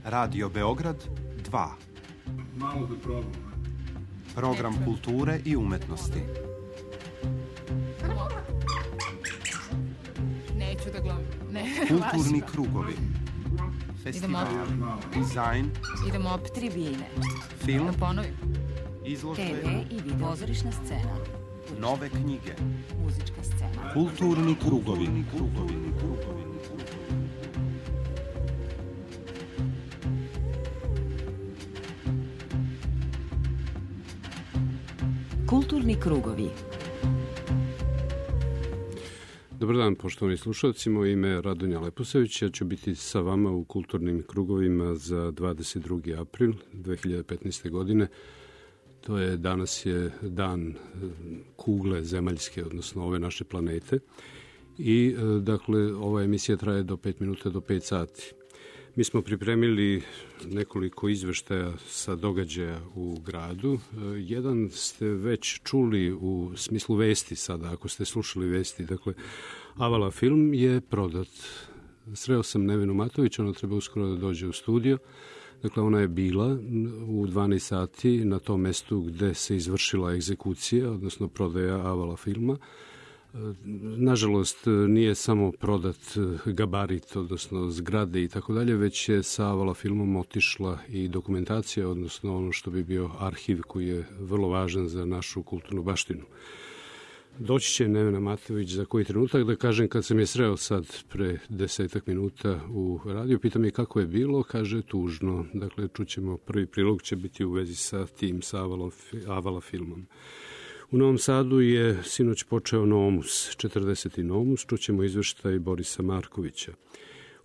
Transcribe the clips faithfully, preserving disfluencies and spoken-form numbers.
Radio Beograd dva. Malo da probam. Program kulture i umetnosti. Neću da glumim. Ne, Kulturni krugovi. Festival, dizajn, idemo op tribine. film, Da ponovim. izložbe, te ve i video. Pozorišna scena. nove knjige. Muzička scena. Kulturni krugovi. krugovi, krugovi. Kulturni krugovi. Dobar dan, poštovani slušalci, moje ime je Radonja Leposavić, ja ću biti sa vama u kulturnim krugovima za dvadeset drugi april dve hiljade petnaeste. godine. To je, danas je dan kugle zemaljske, odnosno ove naše planete. I, dakle, ova emisija traje do pet minuta, do pet sati. Mi smo pripremili nekoliko izveštaja sa događaja u gradu. Jedan ste već čuli u smislu vesti sada, ako ste slušali vesti. Dakle, Avala film je prodat. Sreo sam Nevenu Matović, ona treba uskoro da dođe u studio. Dakle, ona je bila u dvanaest sati na tom mestu gde se izvršila egzekucija, odnosno prodaja Avala filma. Nažalost, nije samo prodat gabarit, odnosno zgrade i tako dalje, već je sa Avala filmom otišla i dokumentacija, odnosno ono što bi bio arhiv koji je vrlo važan za našu kulturnu baštinu. Doći će Nevena Matović za koji trenutak. Da kažem, kad sam je sreo sad pre desetak minuta u radiju, pitam je kako je bilo, kaže tužno. Dakle, čućemo, prvi prilog će biti u vezi sa tim, sa Avala, Avala filmom. U Novom Sadu je sinoć počeo Nomus, četrdeseti Nomus, čućemo izveštaj Borisa Markovića.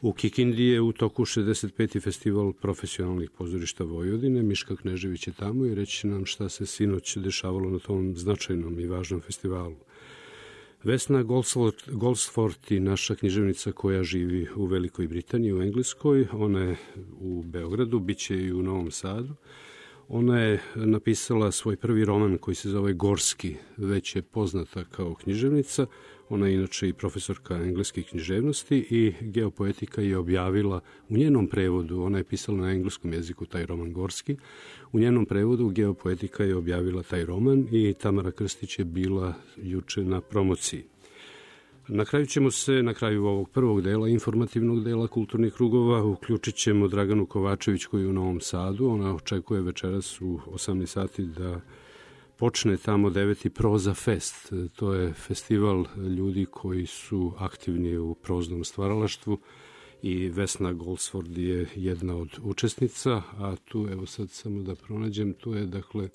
U Kikindi je u toku šezdeset peti festival profesionalnih pozorišta Vojvodine, Miška Knežević je tamo i reći nam šta se sinoć dešavalo na tom značajnom i važnom festivalu. Vesna Goldsford i naša književnica koja živi u Velikoj Britaniji, u Engleskoj, ona je u Beogradu, bit će i u Novom Sadu. Ona je napisala svoj prvi roman koji se zove Gorski, već je poznata kao književnica. Ona je inače i profesorka engleske književnosti i Geopoetika je objavila u njenom prevodu, ona je pisala na engleskom jeziku taj roman Gorski, u njenom prevodu Geopoetika je objavila taj roman i Tamara Krstić je bila juče na promociji. Na kraju ćemo se, na kraju ovog prvog dela, informativnog dela kulturnih krugova, uključit ćemo Draganu Kovačević koji je u Novom Sadu. Ona očekuje večeras u osamnaest sati da počne tamo deveti Proza Fest. To je festival ljudi koji su aktivni u proznom stvaralaštvu i Vesna Goldsford je jedna od učesnica, a tu, evo sad samo da pronađem, tu je dakle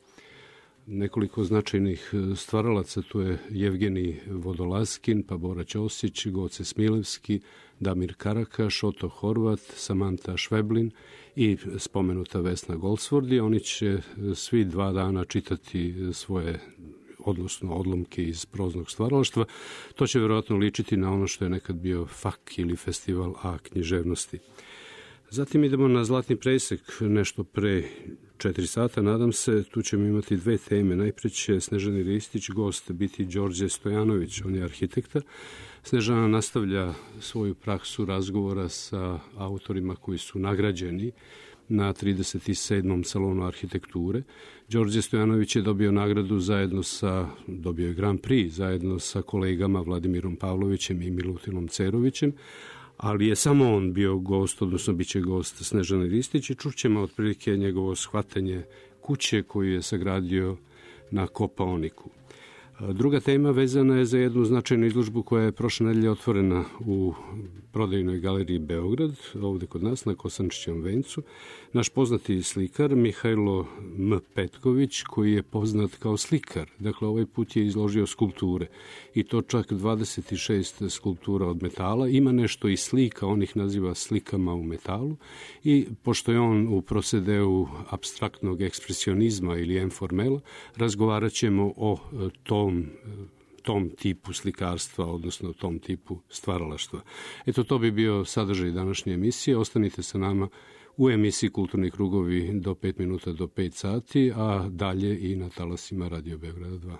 nekoliko značajnih stvaralaca, tu je Jevgenij Vodolaskin, pa Bora Ćosić, Goce Smilevski, Damir Karakaš, Oto Horvat, Samanta Šveblin i spomenuta Vesna Goldsford. Oni će svi dva dana čitati svoje, odnosno odlomke iz proznog stvaralaštva. To će verovatno ličiti na ono što je nekad bio fak ili festival A književnosti. Zatim idemo na Zlatni presek, nešto pre četiri sata, nadam se. Tu ćemo imati dve teme. Najpre će Snežani Ristić, gost, biti Đorđe Stojanović, on je arhitekta. Snežana nastavlja svoju praksu razgovora sa autorima koji su nagrađeni na trideset sedmom salonu arhitekture. Đorđe Stojanović je dobio nagradu zajedno sa, dobio je Grand Prix, zajedno sa kolegama Vladimirom Pavlovićem i Milutinom Cerovićem, ali je samo on bio gost, odnosno bit će gost Snežane Ristić i čućemo otprilike njegovo shvatanje kuće koju je sagradio na Kopaoniku. Druga tema vezana je za jednu značajnu izložbu koja je prošle nedelje otvorena u prodajnoj galeriji Beograd, ovde kod nas na Kosančićevom vencu. Naš poznati slikar Mihajlo M. Petković, koji je poznat kao slikar, dakle ovaj put je izložio skulpture i to čak dvadeset šest skulptura od metala. Ima nešto i slika, on ih naziva slikama u metalu i pošto je on u prosedeu apstraktnog ekspresionizma ili informela, razgovarat ćemo o tom tom tipu slikarstva, odnosno tom tipu stvaralaštva. Eto, to bi bio sadržaj današnje emisije. Ostanite sa nama u emisiji Kulturni krugovi do pet minuta do pet sati, a dalje i na talasima Radio Beograda dva.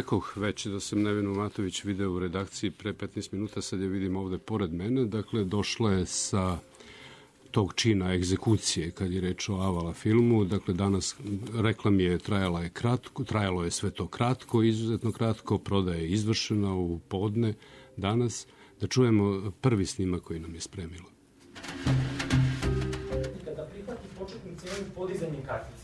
rekoh već da sam Nevenu Matović video u redakciji pre petnaest minuta, sad je vidim ovde pored mene. Dakle, došla je sa tog čina egzekucije kad je reč o Avala filmu. Dakle, danas rekla mi je trajala je kratko, trajalo je sve to kratko, izuzetno kratko, prodaja je izvršena u podne danas. Da čujemo prvi snimak koji nam je spremilo. Kada prihvati početnu cenu podizanjem kartice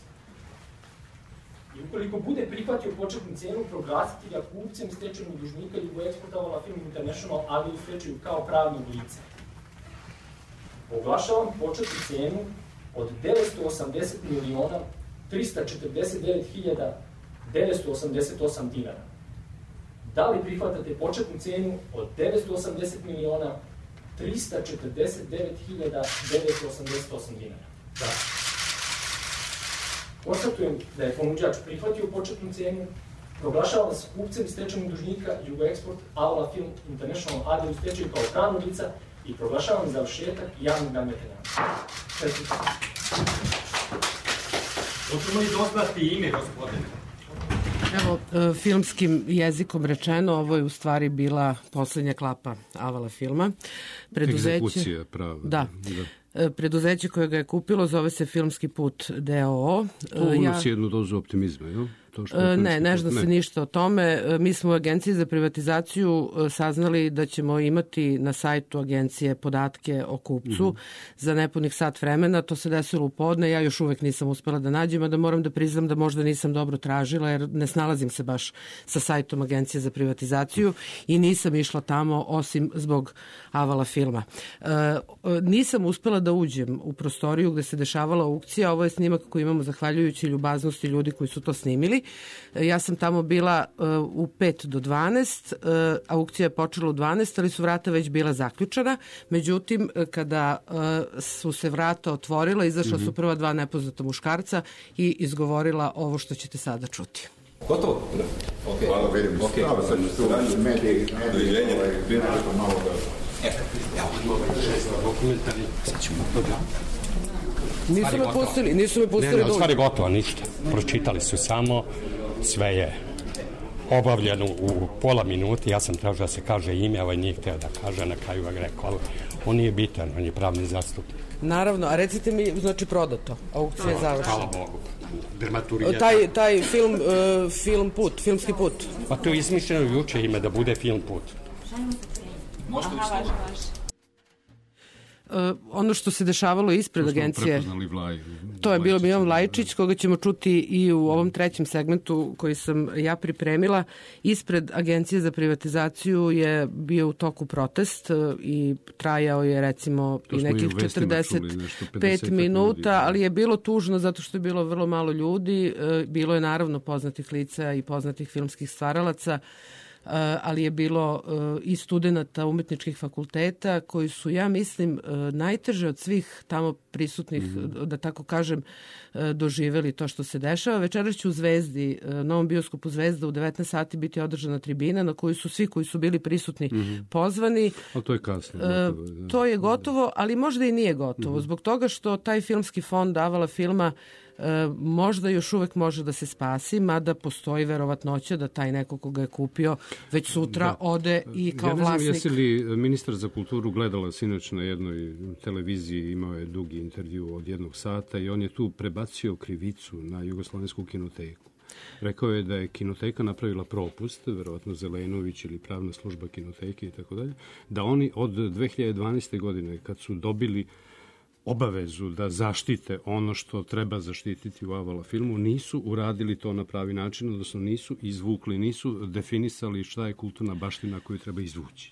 i ukoliko bude prihvatio početnu cenu, proglasiti ga kupcem stečajnog dužnika Jugoeksport Avala Film International, ali u stečaju kao pravnog lica. Oglašavam početnu cenu od devetsto osamdeset miliona trista četrdeset devet hiljada devetsto osamdeset osam dinara. Da li prihvatate početnu cenu od devetsto osamdeset miliona trista četrdeset devet hiljada devetsto osamdeset osam dinara? Da. Konstatujem da je ponuđač prihvatio početnu cenu, proglašavam vas kupcem i stečajnog dužnika Jugoeksport Avala Film International A D u stečaju kao pravnog lica i proglašavam završetak javnog nadmetanja. Četvrti. Hoćemo li doznati ime, gospodine? Evo, filmskim jezikom rečeno, ovo je u stvari bila poslednja klapa Avala filma. Preduzeće, egzekucija prava. Da. da. Preduzeće koje ga je kupilo zove se Filmski put D O O. To unosi ja... jednu dozu optimizma, jel? To što je ne, ne zna se ništa o tome. Mi smo u Agenciji za privatizaciju saznali da ćemo imati na sajtu agencije podatke o kupcu mm-hmm. za nepunih sat vremena. To se desilo u podne. Ja još uvek nisam uspela da nađem, a da moram da priznam da možda nisam dobro tražila, jer ne snalazim se baš sa sajtom Agencije za privatizaciju i nisam išla tamo osim zbog Avala filma. E, nisam uspela da uđem u prostoriju gde se dešavala aukcija. Ovo je snimak koji imamo zahvaljujući ljubaznosti ljudi koji su to snimili. Ja sam tamo bila uh, u pet do dvanaest, uh, aukcija je počela u dvanaest, ali su vrata već bila zaključana. Međutim, kada uh, su se vrata otvorila, izašla mm-hmm. su prva dva nepoznata muškarca i izgovorila ovo što ćete sada čuti. Gotovo? Ok. Hvala, vidim. Ok. Sad ću tu mediji, mediji, ovaj, bilo nešto malo da... Evo, evo, ovaj šest dokumentarni, sad ćemo dobro. Nisu me pustili, nisu me pustili. Ne, ne, stvari gotovo, ništa. Pročitali su samo, sve je obavljeno u pola minuti, ja sam tražio da se kaže ime, ovaj nije hteo da kaže, na kraju ga rekao, ali on nije bitan, on je pravni zastupnik. Naravno, a recite mi, znači prodato, aukcija je završena. Hvala Bogu. Dramaturgija. Taj, taj film, uh, film put, filmski put. Pa to je izmišljeno juče ime da bude film put. Možete li što? Uh, ono što se dešavalo ispred to agencije, Vlaj, to je bilo Milan Vlajčić, koga ćemo čuti i u ovom trećem segmentu koji sam ja pripremila. Ispred Agencije za privatizaciju je bio u toku protest i trajao je recimo i nekih četrdeset pet minuta, ali je bilo tužno zato što je bilo vrlo malo ljudi. Bilo je naravno poznatih lica i poznatih filmskih stvaralaca, ali je bilo i studenata umetničkih fakulteta koji su, ja mislim, najteže od svih tamo prisutnih, mm-hmm. da tako kažem, doživeli to što se dešava. Večeras će u Zvezdi, Novom bioskopu Zvezda u devetnaest sati biti održana tribina na kojoj su svi koji su bili prisutni mm-hmm. pozvani. Ali to je kasno. Gotovo, da. To je gotovo, ali možda i nije gotovo. Mm-hmm. Zbog toga što taj filmski fond Avala filma E, možda još uvek može da se spasi, mada postoji verovatnoća da taj neko koga je kupio već sutra da. ode i kao vlasnik. Ja ne znam, jesi li ministar za kulturu gledala sinoć na jednoj televiziji, imao je dugi intervju od jednog sata i on je tu prebacio krivicu na Jugoslovensku kinoteku. Rekao je da je kinoteka napravila propust, verovatno Zelenović ili pravna služba kinoteke i tako dalje, da oni od dve hiljade dvanaeste. godine kad su dobili obavezu da zaštite ono što treba zaštititi u Avala filmu, nisu uradili to na pravi način, odnosno nisu izvukli, nisu definisali šta je kulturna baština koju treba izvući.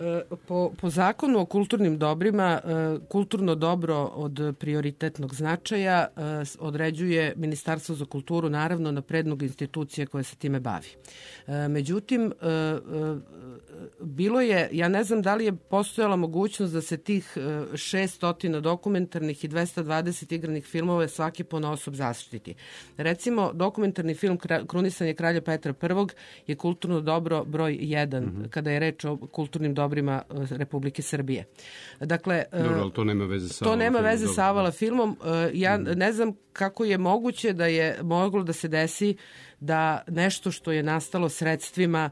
Po, po zakonu o kulturnim dobrima, kulturno dobro od prioritetnog značaja određuje Ministarstvo za kulturu, naravno na predlog institucije koje se time bavi. Međutim, bilo je, ja ne znam da li je postojala mogućnost da se tih šeststo dokumentarnih i dvesta dvadeset igranih filmova je svaki ponaosob zaštiti. Recimo, dokumentarni film Krunisanje kralja Petra Prvog je kulturno dobro broj jedan, mm-hmm. kada je reč o kulturnim dobrima Republike Srbije. Dakle, dobro, ali to nema veze sa to nema filmom, veze sa Avala filmom. Ja mm-hmm. ne znam kako je moguće da je moglo da se desi da nešto što je nastalo sredstvima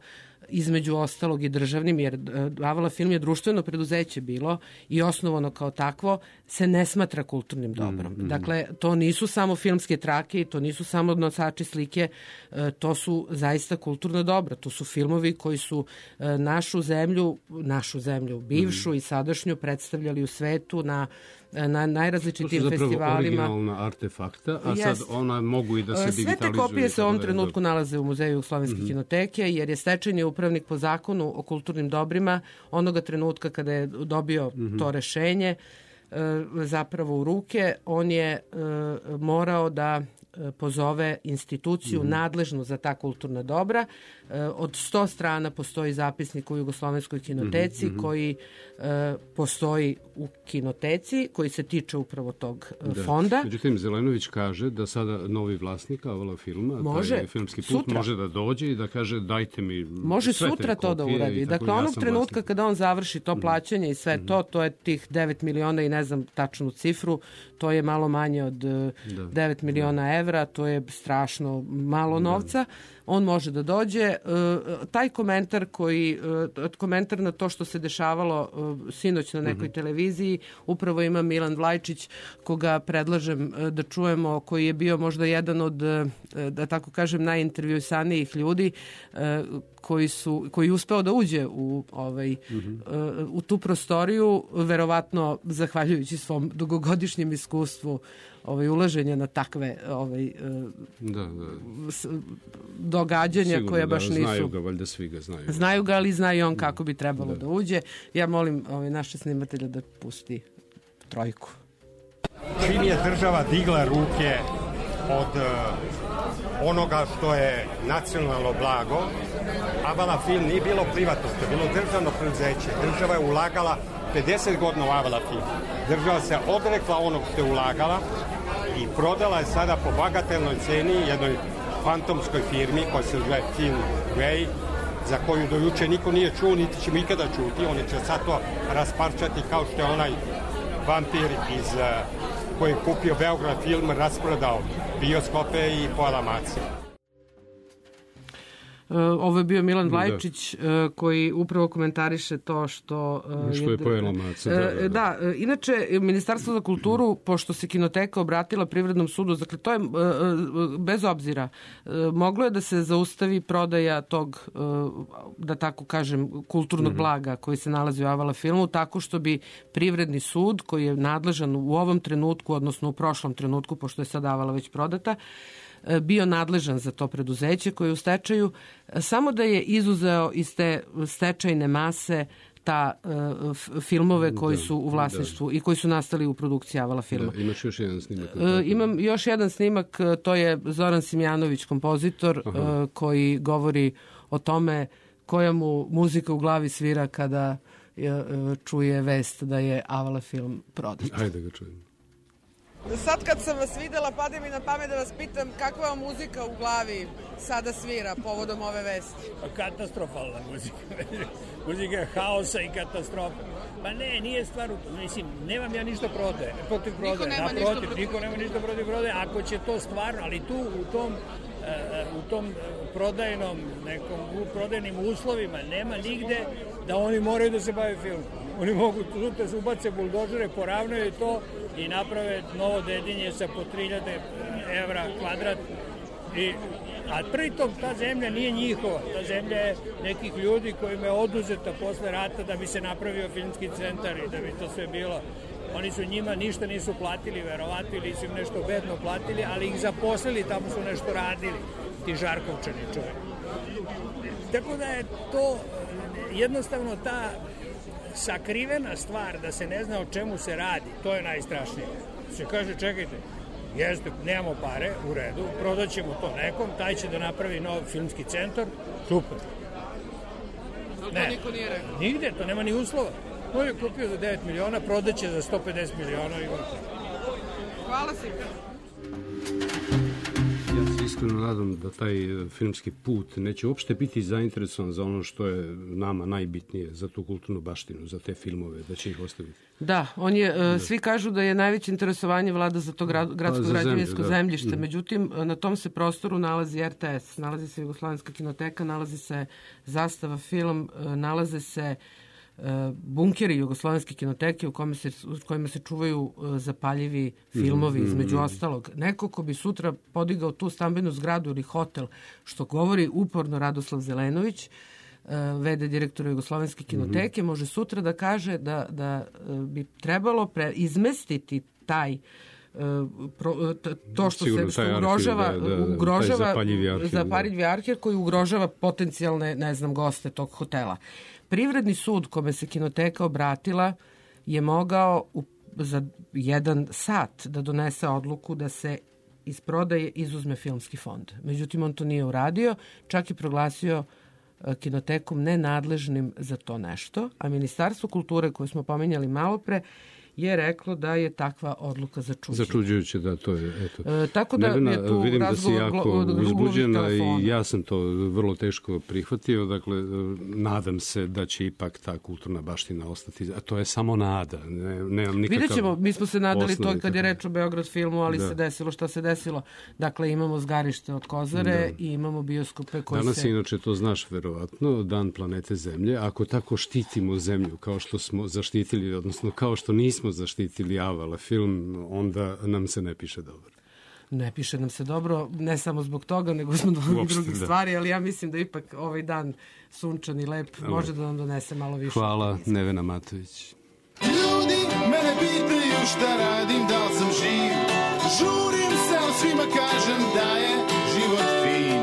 između ostalog i državnim, jer Avala film je društveno preduzeće bilo i osnovano kao takvo, se ne smatra kulturnim dobrom. Mm-hmm. Dakle, to nisu samo filmske trake i to nisu samo nosači slike, to su zaista kulturno dobro. To su filmovi koji su našu zemlju, našu zemlju, bivšu mm-hmm. i sadašnju predstavljali u svetu na na najrazličitim festivalima. To su zapravo originalna artefakta, a sad ona mogu i da se digitalizuju. Sve te kopije se u ovom trenutku nalaze u Muzeju Jugoslovenske mm-hmm. kinoteke, jer je stečajni upravnik po zakonu o kulturnim dobrima onoga trenutka kada je dobio mm-hmm. to rešenje zapravo u ruke, on je morao da pozove instituciju mm-hmm. nadležnu za ta kulturna dobra. Od sto strana postoji zapisnik u Jugoslovenskoj kinoteci mm-hmm. koji e, postoji u kinoteci, koji se tiče upravo tog da. fonda. Međutim, Zelenović kaže da sada novi vlasnik Avala filma, može, taj filmski put, sutra. može da dođe i da kaže dajte mi može sve sutra to da uradi. Dakle, ja onog trenutka vlasnik. kada on završi to plaćanje i sve mm-hmm. to, to je tih devet miliona i ne znam tačnu cifru, to je malo manje od da. devet miliona da. evra, to je strašno malo novca. Da. On može da dođe. Taj komentar koji, komentar na to što se dešavalo sinoć na nekoj mm-hmm. televiziji, upravo ima Milan Vlajčić, koga predlažem da čujemo, koji je bio možda jedan od, da tako kažem, najintervjuisanijih ljudi, koji su koji je uspeo da uđe u ovaj mm-hmm. u tu prostoriju, verovatno zahvaljujući svom dugogodišnjem iskustvu ovaj ulaženja na takve ovaj da, da. događanja sigurno, koje baš da, nisu znaju ga, valjda svi ga znaju. Znaju ga, ali znaju on kako bi trebalo da, da uđe. Ja molim ovaj naše snimatelja da pusti trojku. Čim je država digla ruke od onoga što je nacionalno blago, Avala film nije bilo privatno, to je bilo državno preduzeće. Država je ulagala pedeset godina u Avala film. Država se odrekla onog što je ulagala i prodala je sada po bagatelnoj ceni jednoj fantomskoj firmi koja se zove Film Way, za koju do juče niko nije čuo, niti ćemo ikada čuti. Oni će sad to rasparčati kao što je onaj vampir iz koji je kupio Beograd film, rasprodao bioskope i pola mace. Ovo je bio Milan Vlajčić da. koji upravo komentariše to što... Što je, je pojela maca. Da, da, da. da, inače, Ministarstvo za kulturu, pošto se kinoteka obratila Privrednom sudu, dakle, to je, bez obzira, moglo je da se zaustavi prodaja tog, da tako kažem, kulturnog mm-hmm. blaga koji se nalazi u Avala filmu, tako što bi Privredni sud, koji je nadležan u ovom trenutku, odnosno u prošlom trenutku, pošto je sad Avala već prodata, bio nadležan za to preduzeće koje je u stečaju, samo da je izuzeo iz te stečajne mase ta uh, filmove koji da, su u vlasništvu da. i koji su nastali u produkciji Avala filma. Da, imaš još jedan snimak? Uh, imam još jedan snimak, to je Zoran Simjanović, kompozitor, uh, koji govori o tome koja mu muzika u glavi svira kada uh, čuje vest da je Avala film prodat. Ajde ga čujem. Sad kad sam vas videla, pade mi na pamet da vas pitam kakva vam muzika u glavi sada svira povodom ove vesti? Katastrofalna muzika. Muzika haosa i katastrofa. Pa ne, nije stvar u tom. Mislim, nemam ja ništa protiv, protiv prodaje. Niko nema ništa protiv, niko nema ništa protiv prodaje. Ako će to stvarno, ali tu u tom u tom prodajnom nekom u prodajnim uslovima nema nigde da oni moraju da se bave filmom. Oni mogu da se ubace buldožere, poravnaju to i naprave novo Dedinje sa po tri hiljade evra kvadrat. I, a pritom ta zemlja nije njihova. Ta zemlja je nekih ljudi kojima je oduzeta posle rata da bi se napravio filmski centar i da bi to sve bilo. Oni su njima ništa nisu platili, verovatno, ili su im nešto bedno platili, ali ih zaposlili, tamo su nešto radili, ti Žarkovčani čovjek. Tako da je to jednostavno ta sakrivena stvar da se ne zna o čemu se radi, to je najstrašnije. Se kaže, čekajte, jeste, nemamo pare, u redu, prodaćemo to nekom, taj će da napravi nov filmski centar, super. To ne, niko nije rekao. Nigde, to nema ni uslova. To je kupio za devet miliona, prodaće za sto pedeset miliona i gotovo. Hvala si. Ja se iskreno nadam da taj filmski put neće uopšte biti zainteresovan za ono što je nama najbitnije, za tu kulturnu baštinu, za te filmove, da će ih ostaviti. Da, on je, da. Svi kažu da je najveće interesovanje vlada za to grad, gradsko građevinsko da. zemljište, međutim, na tom se prostoru nalazi R T S, nalazi se Jugoslovenska kinoteka, nalazi se Zastava film, nalaze se bunkeri Jugoslovenske kinoteke u kojima se, u kojima se čuvaju zapaljivi filmovi, mm-hmm. između ostalog. Neko ko bi sutra podigao tu stambenu zgradu ili hotel, što govori uporno Radoslav Zelenović, v d direktora Jugoslovenske kinoteke, mm-hmm. može sutra da kaže da, da bi trebalo pre, izmestiti taj to što se što ugrožava arhiv, da, da, ugrožava zapaljivi arhiv, zapaljivi arhiv koji ugrožava potencijalne, ne znam, goste tog hotela. Privredni sud kome se kinoteka obratila je mogao u, za jedan sat da donese odluku da se iz prodaje izuzme filmski fond. Međutim, on to nije uradio, čak i proglasio kinotekom nenadležnim za to nešto, a Ministarstvo kulture koje smo pominjali malo pre je reklo da je takva odluka začuđujuća. Začuđujuće, da, to je, eto. E, tako da Nevena, je tu vidim da si jako uzbuđena i ja sam to vrlo teško prihvatio, dakle, nadam se da će ipak ta kulturna baština ostati, a to je samo nada, ne, nemam nikakav... Vidjet ćemo, mi smo se nadali to kad je reč o Beograd filmu, ali da. se desilo šta se desilo. Dakle, imamo zgarište od Kozare da. i imamo bioskope koji Danas se... Danas inače to znaš verovatno, Dan planete Zemlje, ako tako štitimo Zemlju kao što smo zaštitili, odnosno kao što nismo zaštitili Avala film, onda nam se ne piše dobro. Ne piše nam se dobro, ne samo zbog toga, nego zbog drugih da. stvari, ali ja mislim da ipak ovaj dan sunčan i lep ali. može da nam donese malo više. Hvala, Nevena Matović. Ljudi mene pitaju šta radim, da li sam živ. Žurim se, ali svima kažem da je život fin.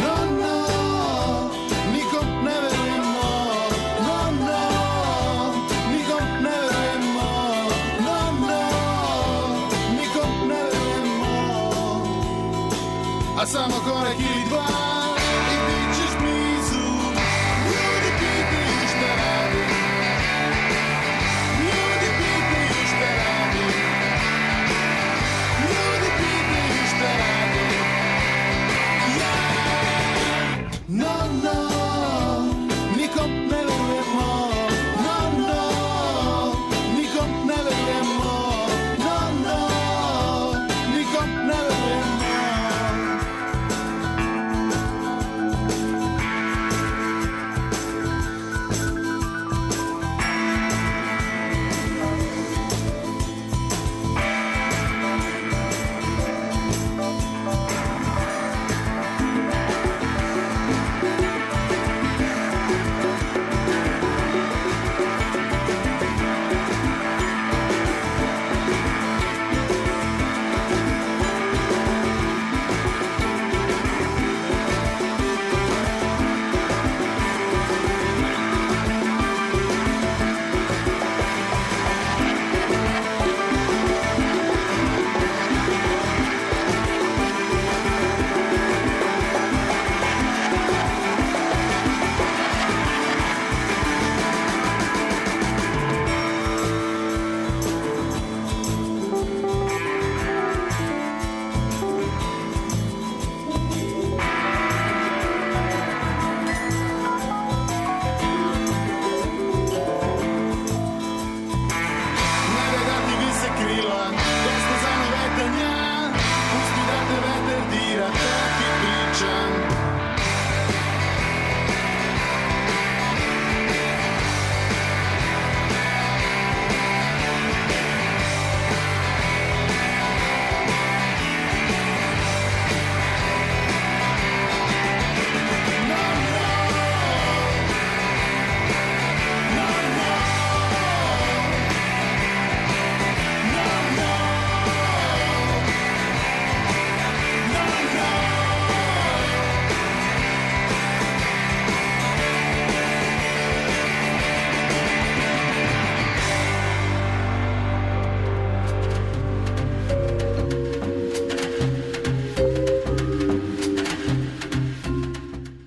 No, no, nikom ne verujemo. No, no, nikom ne verujemo. No, no, nikom ne verujemo. A samo korak ili dva i bit ćeš blizu. Ljudi pitaju šta radim. Ljudi pitaju šta radim. Ljudi pitaju šta radim. Ja, no, no, nikom ne verujemo. No, no, nikom ne verujemo. No, no, nikom ne verujemo.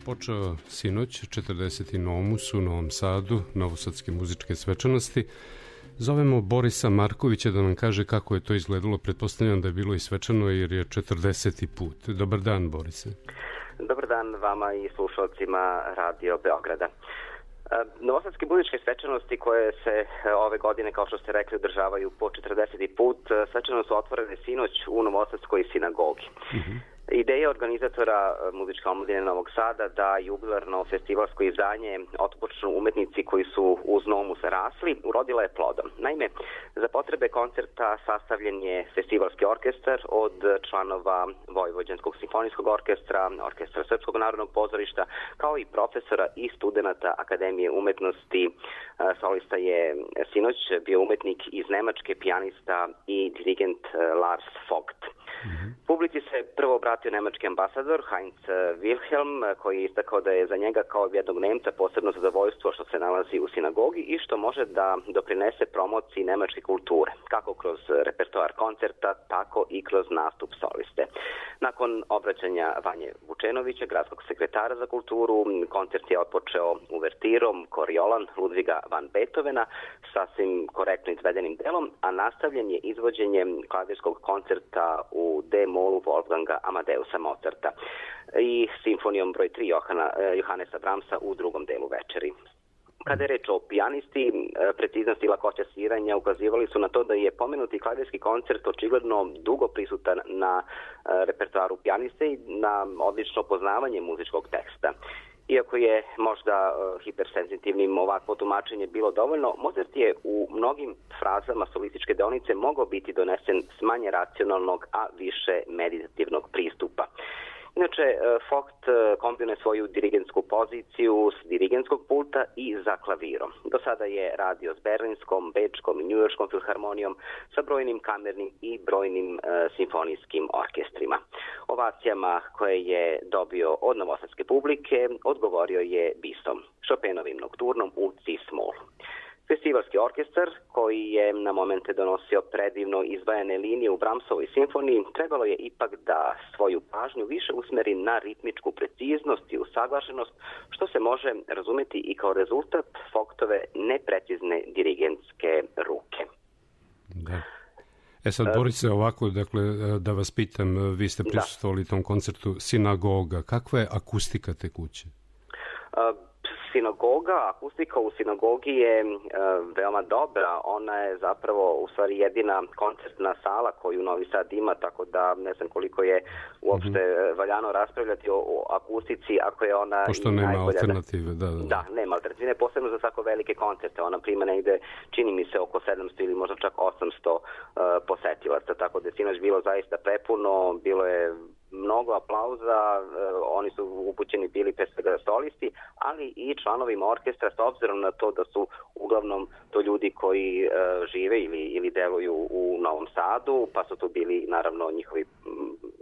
Počeo sinoć četrdeset Nomus u Novom Sadu, novosadske muzičke svečanosti. Zovemo Borisa Markovića da nam kaže kako je to izgledalo. Pretpostavljam da je bilo i svečano jer je četrdeseti put. Dobar dan, Borise. Dobar dan vama i slušalcima Radio Beograda. Novosadske budičke svečanosti koje se ove godine, kao što ste rekli, održavaju po četrdeseti put, svečano su otvorene sinoć u Novosadskoj sinagogi. Uh-huh. Ideja organizatora muzičke omladine Novog Sada da jubilarno festivalsko izdanje otpočnu umetnici koji su uz Nomus rasli, urodila je plodom. Naime, za potrebe koncerta sastavljen je festivalski orkestar od članova Vojvođanskog simfonijskog orkestra, Orkestra Srpskog narodnog pozorišta, kao i profesora i studenata Akademije umetnosti. Solista je sinoć bio umetnik iz Nemačke, pijanista i dirigent Lars Vogt. Mm-hmm. Publici se prvo obratio nemački ambasador Heinz Wilhelm, koji je istakao da je za njega kao jednog Nemca posebno zadovoljstvo što se nalazi u sinagogi i što može da doprinese promociji nemačke kulture, kako kroz repertoar koncerta, tako i kroz nastup soliste. Nakon obraćanja Vanje Vučenovića, gradskog sekretara za kulturu, koncert je otpočeo uvertirom Koriolan Ludviga van Beethovena, sasvim korektno izvedenim delom, a nastavljen je izvođenjem klavirskog koncerta u D-molu Wolfganga Amadeusa Mozarta i simfonijom broj tri Johana, Johannesa Brahmsa u drugom delu večeri. Kada je reč o pijanisti, preciznost i lakoća sviranja ukazivali su na to da je pomenuti klavirski koncert očigledno dugo prisutan na repertoaru pijaniste i na odlično poznavanje muzičkog teksta. Iako je možda uh, hipersenzitivnim ovakvo tumačenje bilo dovoljno, Mozart je u mnogim frazama solističke deonice mogao biti donesen s manje racionalnog, a više meditativnog pristupa. Inače, Vogt kombinuje svoju dirigentsku poziciju s dirigentskog pulta i za klavirom. Do sada je radio s Berlinskom, Bečkom i Njujorškom filharmonijom sa brojnim kamernim i brojnim uh, simfonijskim orkestrima. Ovacijama koje je dobio od novosadske publike odgovorio je bisom, Chopinovim nokturnom u C-small. Festivalski orkestar, koji je na momente donosio predivno izdvajane linije u Brahmsovoj simfoniji, trebalo je ipak da svoju pažnju više usmeri na ritmičku preciznost i usaglašenost, što se može razumeti i kao rezultat Vogtove neprecizne dirigentske ruke. Da. E sad, Borise, ovako, dakle, da vas pitam, vi ste prisustvovali tom koncertu Sinagoga. Kakva je akustika te kuće? Uh, Sinagoga, akustika u sinagogi je e, veoma dobra. Ona je zapravo u stvari jedina koncertna sala koju Novi Sad ima, tako da ne znam koliko je uopšte mm-hmm. valjano raspravljati o, o akustici ako je ona... Pošto nema najbolja, alternative, da, da. Da, nema alternative, posebno za tako velike koncerte. Ona prima negde, čini mi se, oko sedamsto ili možda čak osamsto uh, posetilaca, tako da je sinoć bilo zaista prepuno, bilo je mnogo aplauza, oni su upućeni bili pre svega solisti, ali i članovima orkestra, s obzirom na to da su uglavnom to ljudi koji uh, žive ili, ili deluju u Novom Sadu, pa su tu bili naravno njihovi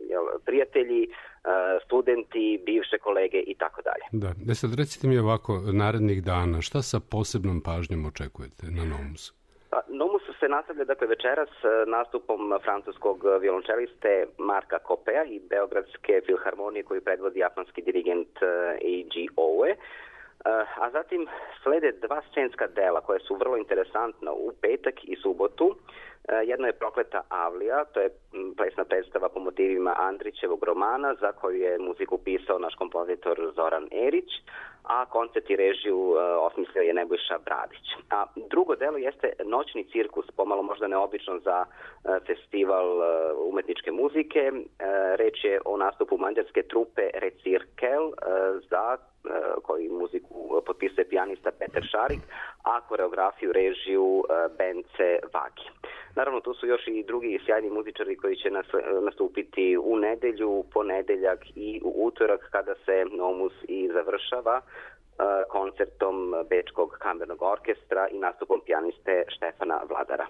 jel, prijatelji, uh, studenti, bivše kolege i tako dalje. Da, da sad recite mi ovako, narednih dana, šta sa posebnom pažnjom očekujete na Nomusu? Nomus se nastavlja dakle večeras nastupom francuskog violončeliste Marka Kopea i Beogradske filharmonije koju predvodi japanski dirigent Eiji Oue. A zatim slede dva scenska dela koja su vrlo interesantna u petak i subotu. Jedno je Prokleta Avlija, to je plesna predstava po motivima Andrićevog romana za koju je muziku pisao naš kompozitor Zoran Erić, a koncert i režiju uh, osmislio je Nebojša Bradić. A drugo delo jeste Noćni cirkus, pomalo možda neobično za uh, festival uh, umetničke muzike. Uh, reč je o nastupu mađarske trupe Recirkel uh, za uh, koji muziku potpisuje pijanista Peter Šarik, a koreografiju režiju uh, Bence Vagi. Naravno, tu su još i drugi sjajni muzičari koji će nas, nastupiti u nedelju, ponedeljak i u utorak kada se Nomus i završava uh, koncertom Bečkog kamernog orkestra i nastupom pijaniste Štefana Vladara.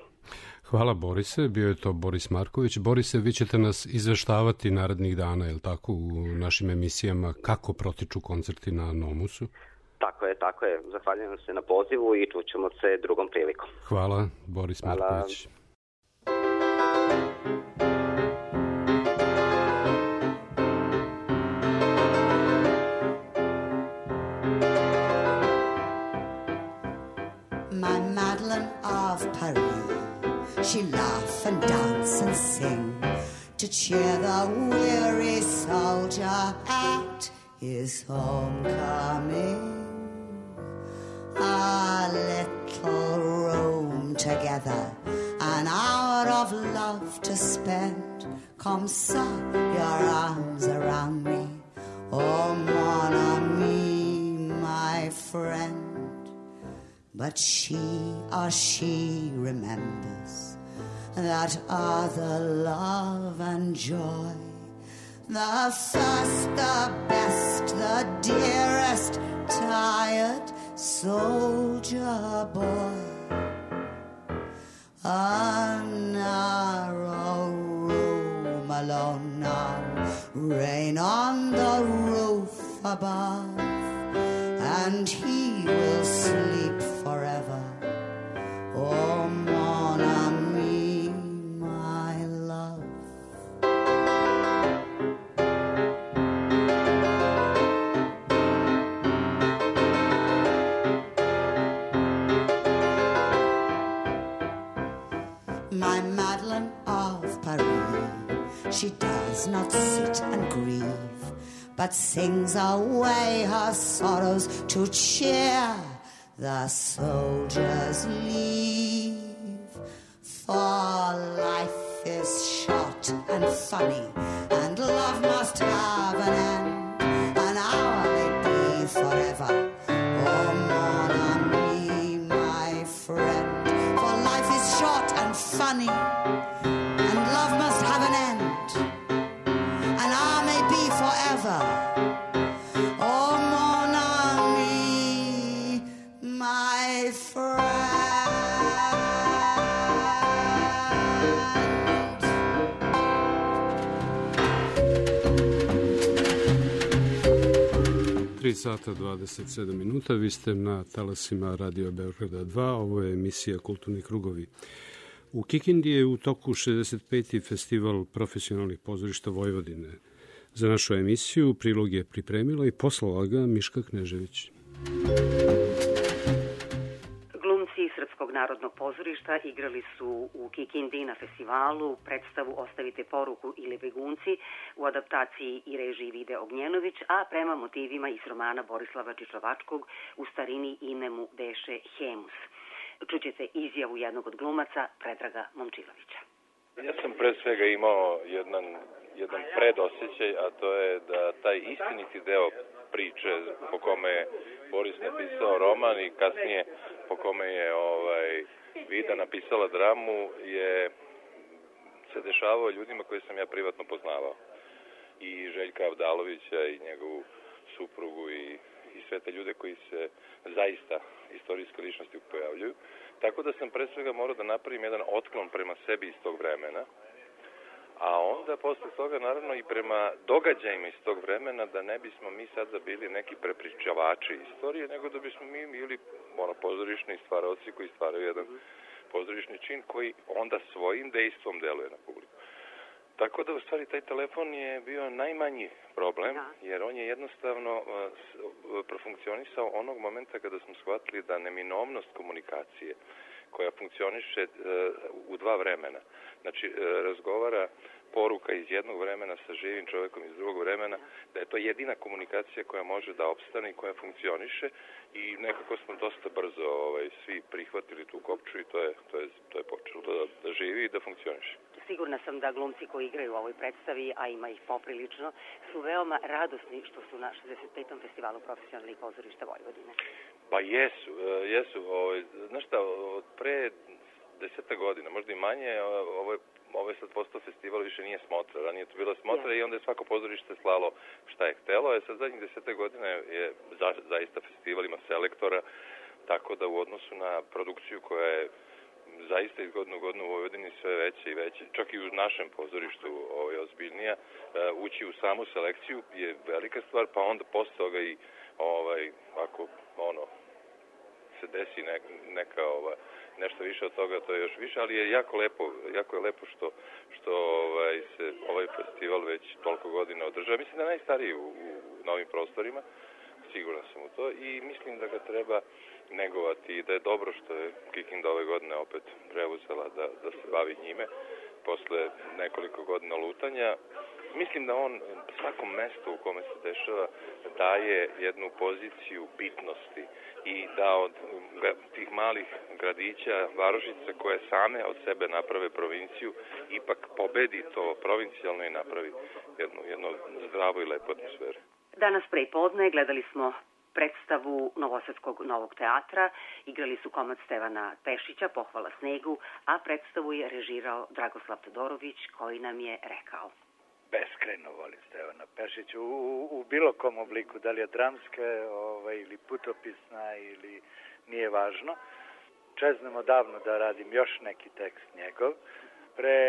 Hvala, Borise. Bio je to Boris Marković. Borise, vi ćete nas izveštavati narednih dana, je li tako, u našim emisijama kako protiču koncerti na Nomusu? Tako je, tako je. Zahvaljujem se na pozivu i čućemo se drugom prilikom. Hvala, Boris Hvala. Marković. My Madeleine of Paris. to cheer the weary soldier at his homecoming. A little room together, an hour of love to spend. Come, son, your arms around me, oh, mon ami, my friend. But she, oh, she remembers that other love and joy, the first, the best, the dearest, tired soldier boy. A narrow room alone now, rain on the roof above, and he will sleep forever. Oh, mon ami, my love. My Madeline of Paris, she does not sit and grieve, but sings away her sorrows to cheer the soldiers leave. For life is short and funny, and love must have an end. An hour may be forever, oh, mon ami, my friend. For life is short and funny, and love must have an end. An hour may be forever, oh, mon ami, my friend. tri sata dvadeset sedam minuta, vi ste na talasima Radio Beograda dva, ovo je emisija Kulturni krugovi. U Kikindi je u toku šezdeset peti festival profesionalnih pozorišta Vojvodine. Za našu emisiju prilog je pripremila i poslala ga Miška Knežević. Glumci Srpskog narodnog pozorišta igrali su u Kikindi na festivalu predstavu Ostavite poruku ili Begunci u adaptaciji i režiji Vide Ognjenović, a prema motivima iz romana Borislava Čičovačkog U starini ime mu beše Hemus. Čućete izjavu jednog od glumaca, Predraga Momčilovića. Ja sam pre svega imao jedan, jedan predosjećaj, a to je da taj istiniti deo priče po kome je Boris napisao roman i kasnije po kome je ovaj, Vida napisala dramu je se dešavao ljudima koje sam ja privatno poznavao. I Željka Avdalovića i njegovu suprugu i i sve te ljude koji se zaista istorijske ličnosti pojavljuju. Tako da sam pre svega morao da napravim jedan otklon prema sebi iz tog vremena, a onda posle toga naravno i prema događajima iz tog vremena, da ne bismo mi sada bili neki prepričavači istorije, nego da bismo mi bili ono, pozorišni stvaraoci koji stvaraju jedan pozorišni čin koji onda svojim dejstvom deluje na publiku. Tako da u stvari taj telefon je bio najmanji problem, jer on je jednostavno uh, profunkcionisao onog momenta kada smo shvatili da neminovnost komunikacije koja funkcioniše uh, u dva vremena, znači uh, razgovara poruka iz jednog vremena sa živim čovekom iz drugog vremena, da je to jedina komunikacija koja može da opstane i koja funkcioniše i nekako smo dosta brzo ovaj, svi prihvatili tu kopču i to je, to je, to je počelo da, da živi i da funkcioniše. Sigurna sam da glumci koji igraju u ovoj predstavi, a ima ih poprilično, su veoma radosni što su na šezdeset petom festivalu profesionalnih pozorišta Vojvodine. Pa jesu, jesu. Ovaj, znaš šta, od pre deseta godina, možda i manje, ovo je, ovo je sad postao festival, više nije Smotra. Ranije to bila Smotra i onda je svako pozorište slalo šta je htelo. E sad zadnjih deseta godina je za, zaista festival, ima selektora, tako da u odnosu na produkciju koja je zaista iz godinu u godinu u Vojvodini sve veće i veće, čak i u našem pozorištu ovaj, ozbiljnija, ući u samu selekciju je velika stvar, pa onda posle toga i ovaj, ako ono, se desi ne, neka ova, nešto više od toga, to je još više, ali je jako lepo, jako je lepo što, što ovaj, se ovaj festival već toliko godina održava. Mislim da je najstariji u, u novim prostorima, siguran sam u to i mislim da ga treba negovati i da je dobro što je Kikinda ove godine opet preuzela da, da se bavi njime. posle nekoliko godina lutanja. Mislim da on svakom mestu u kome se dešava daje jednu poziciju bitnosti i da od tih malih gradića, varošica koje same od sebe naprave provinciju, ipak pobedi to provincijalno i napravi jednu, jednu zdravu i lepu atmosferu. Danas pre podne gledali smo predstavu Novosadskog Novog teatra, igrali su komad Stevana Pešića, Pohvala snegu, a predstavu je režirao Dragoslav Todorović, koji nam je rekao: beskrajno volim Stevana Pešića u, u bilo kom obliku, da li je dramska ovaj, ili putopisna ili nije važno. Čeznem odavno da radim još neki tekst njegov. Pre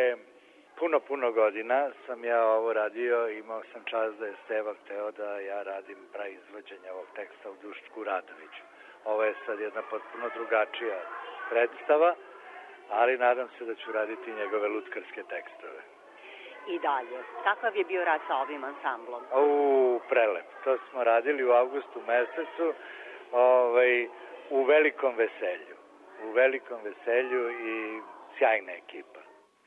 puno, puno godina sam ja ovo radio, imao sam čast da je Steva hteo da ja radim praizvođenje ovog teksta u Dušku Radoviću. Ovo je sad jedna potpuno drugačija predstava, ali nadam se da ću raditi njegove lutkarske tekstove. I dalje. Kakav je bio rad sa ovim ansamblom? U, prelep. To smo radili u avgustu mesecu, ovaj, u velikom veselju. U velikom veselju i sjajna ekipa.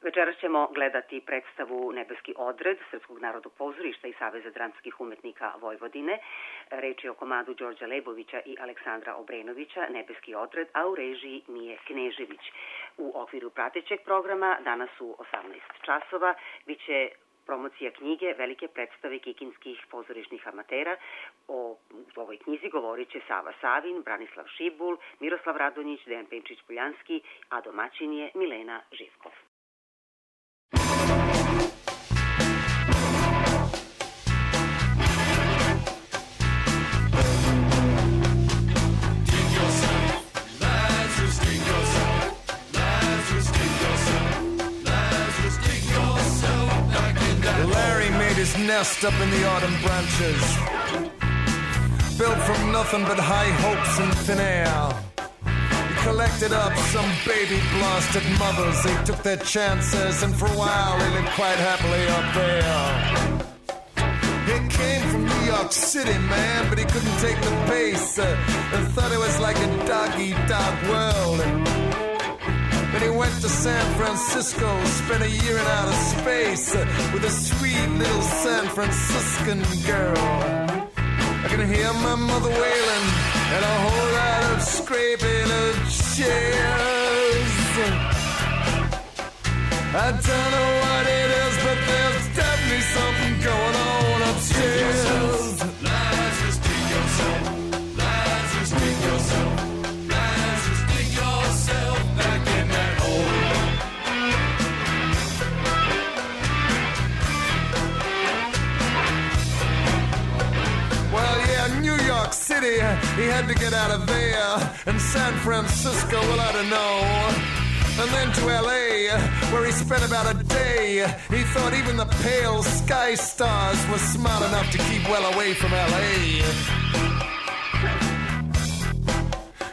Večeras ćemo gledati predstavu Nebeski odred Srpskog narodnog pozorišta i Saveza dramskih umetnika Vojvodine. Reč je o komadu Đorđa Lebovića i Aleksandra Obrenovića, Nebeski odred, a u režiji Mije Knežević. U okviru pratećeg programa danas u osamnaest časova biće promocija knjige Velike predstave kikinskih pozorišnih amatera. O ovoj knjizi govorit će Sava Savin, Branislav Šibul, Miroslav Radonjić, Dejan Penčić-Puljanski, a domaćin je Milena Živkov. His nest up in the autumn branches, built from nothing but high hopes and thin air. He collected up some baby blasted mothers. They took their chances, and for a while they lived quite happily up there. He came from New York City, man, but he couldn't take the pace, uh, and thought it was like a dog-eat-dog world. Then he went to San Francisco, spent a year in outer space uh, with a sweet little San Franciscan girl. I can hear my mother wailing and a whole lot of scraping of chairs. I don't know what it is, but there's definitely something going on upstairs. Lazarus, dig yourself. Lazarus, dig yourself. Lazarus, dig yourself back in that hole. Well, yeah, New York City, he had to get out of there. And San Francisco, well, I don't know. And then to L A, where he spent about a day. He thought even the pale sky stars were smart enough to keep well away from L A.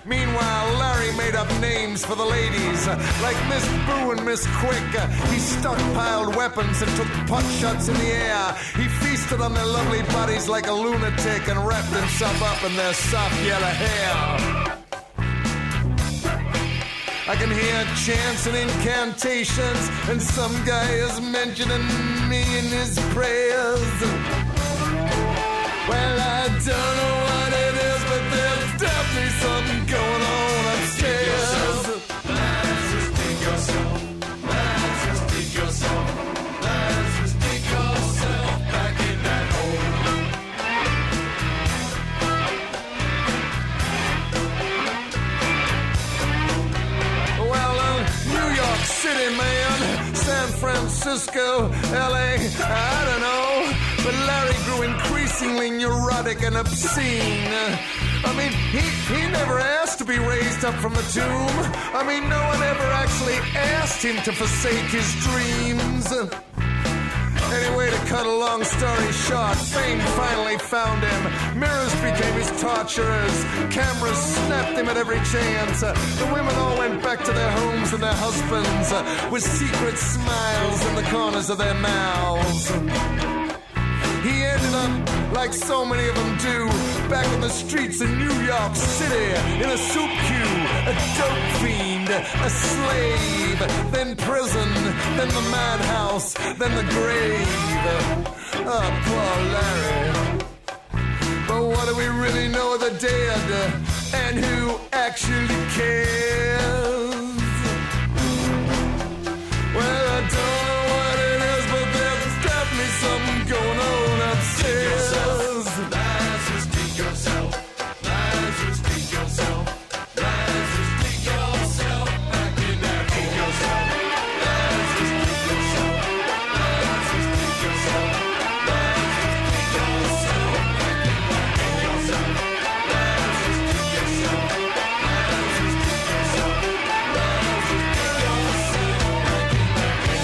Meanwhile, Larry made up names for the ladies, like Miss Boo and Miss Quick. He stockpiled weapons and took pot shots in the air. He feasted on their lovely bodies like a lunatic and wrapped himself up in their soft yellow hair. I can hear chants and incantations, and some guy is mentioning me in his prayers. Well, I don't know what it is, but there's definitely something going on upstairs. Lazarus, dig yourself. Lazarus, dig yourself. Lazarus, dig yourself back in that hole. Well, uh, New York City, man, San Francisco, L A, I don't know. But Larry grew increasingly neurotic and obscene. I mean, he, he never asked to be raised up from the tomb. I mean, no one ever actually asked him to forsake his dreams. Anyway, to cut a long story short, fame finally found him. Mirrors became his torturers. Cameras snapped him at every chance. The women all went back to their homes and their husbands with secret smiles in the corners of their mouths. He ended up, like so many of them do, back on the streets of New York City in a soup queue, a dope fiend, a slave, then prison, then the madhouse, then the grave. Oh, poor Larry. But what do we really know of the dead, and who actually cares? Well, I don't know what it is, but there's definitely something going on upstairs. Lazarus, dig yourself. Lazarus, dig yourself. Lazarus, dig yourself. Back in that hole. Dig yourself. Lazarus, dig yourself. Lazarus, dig yourself. Lazarus, dig yourself. Back in that hole. Dig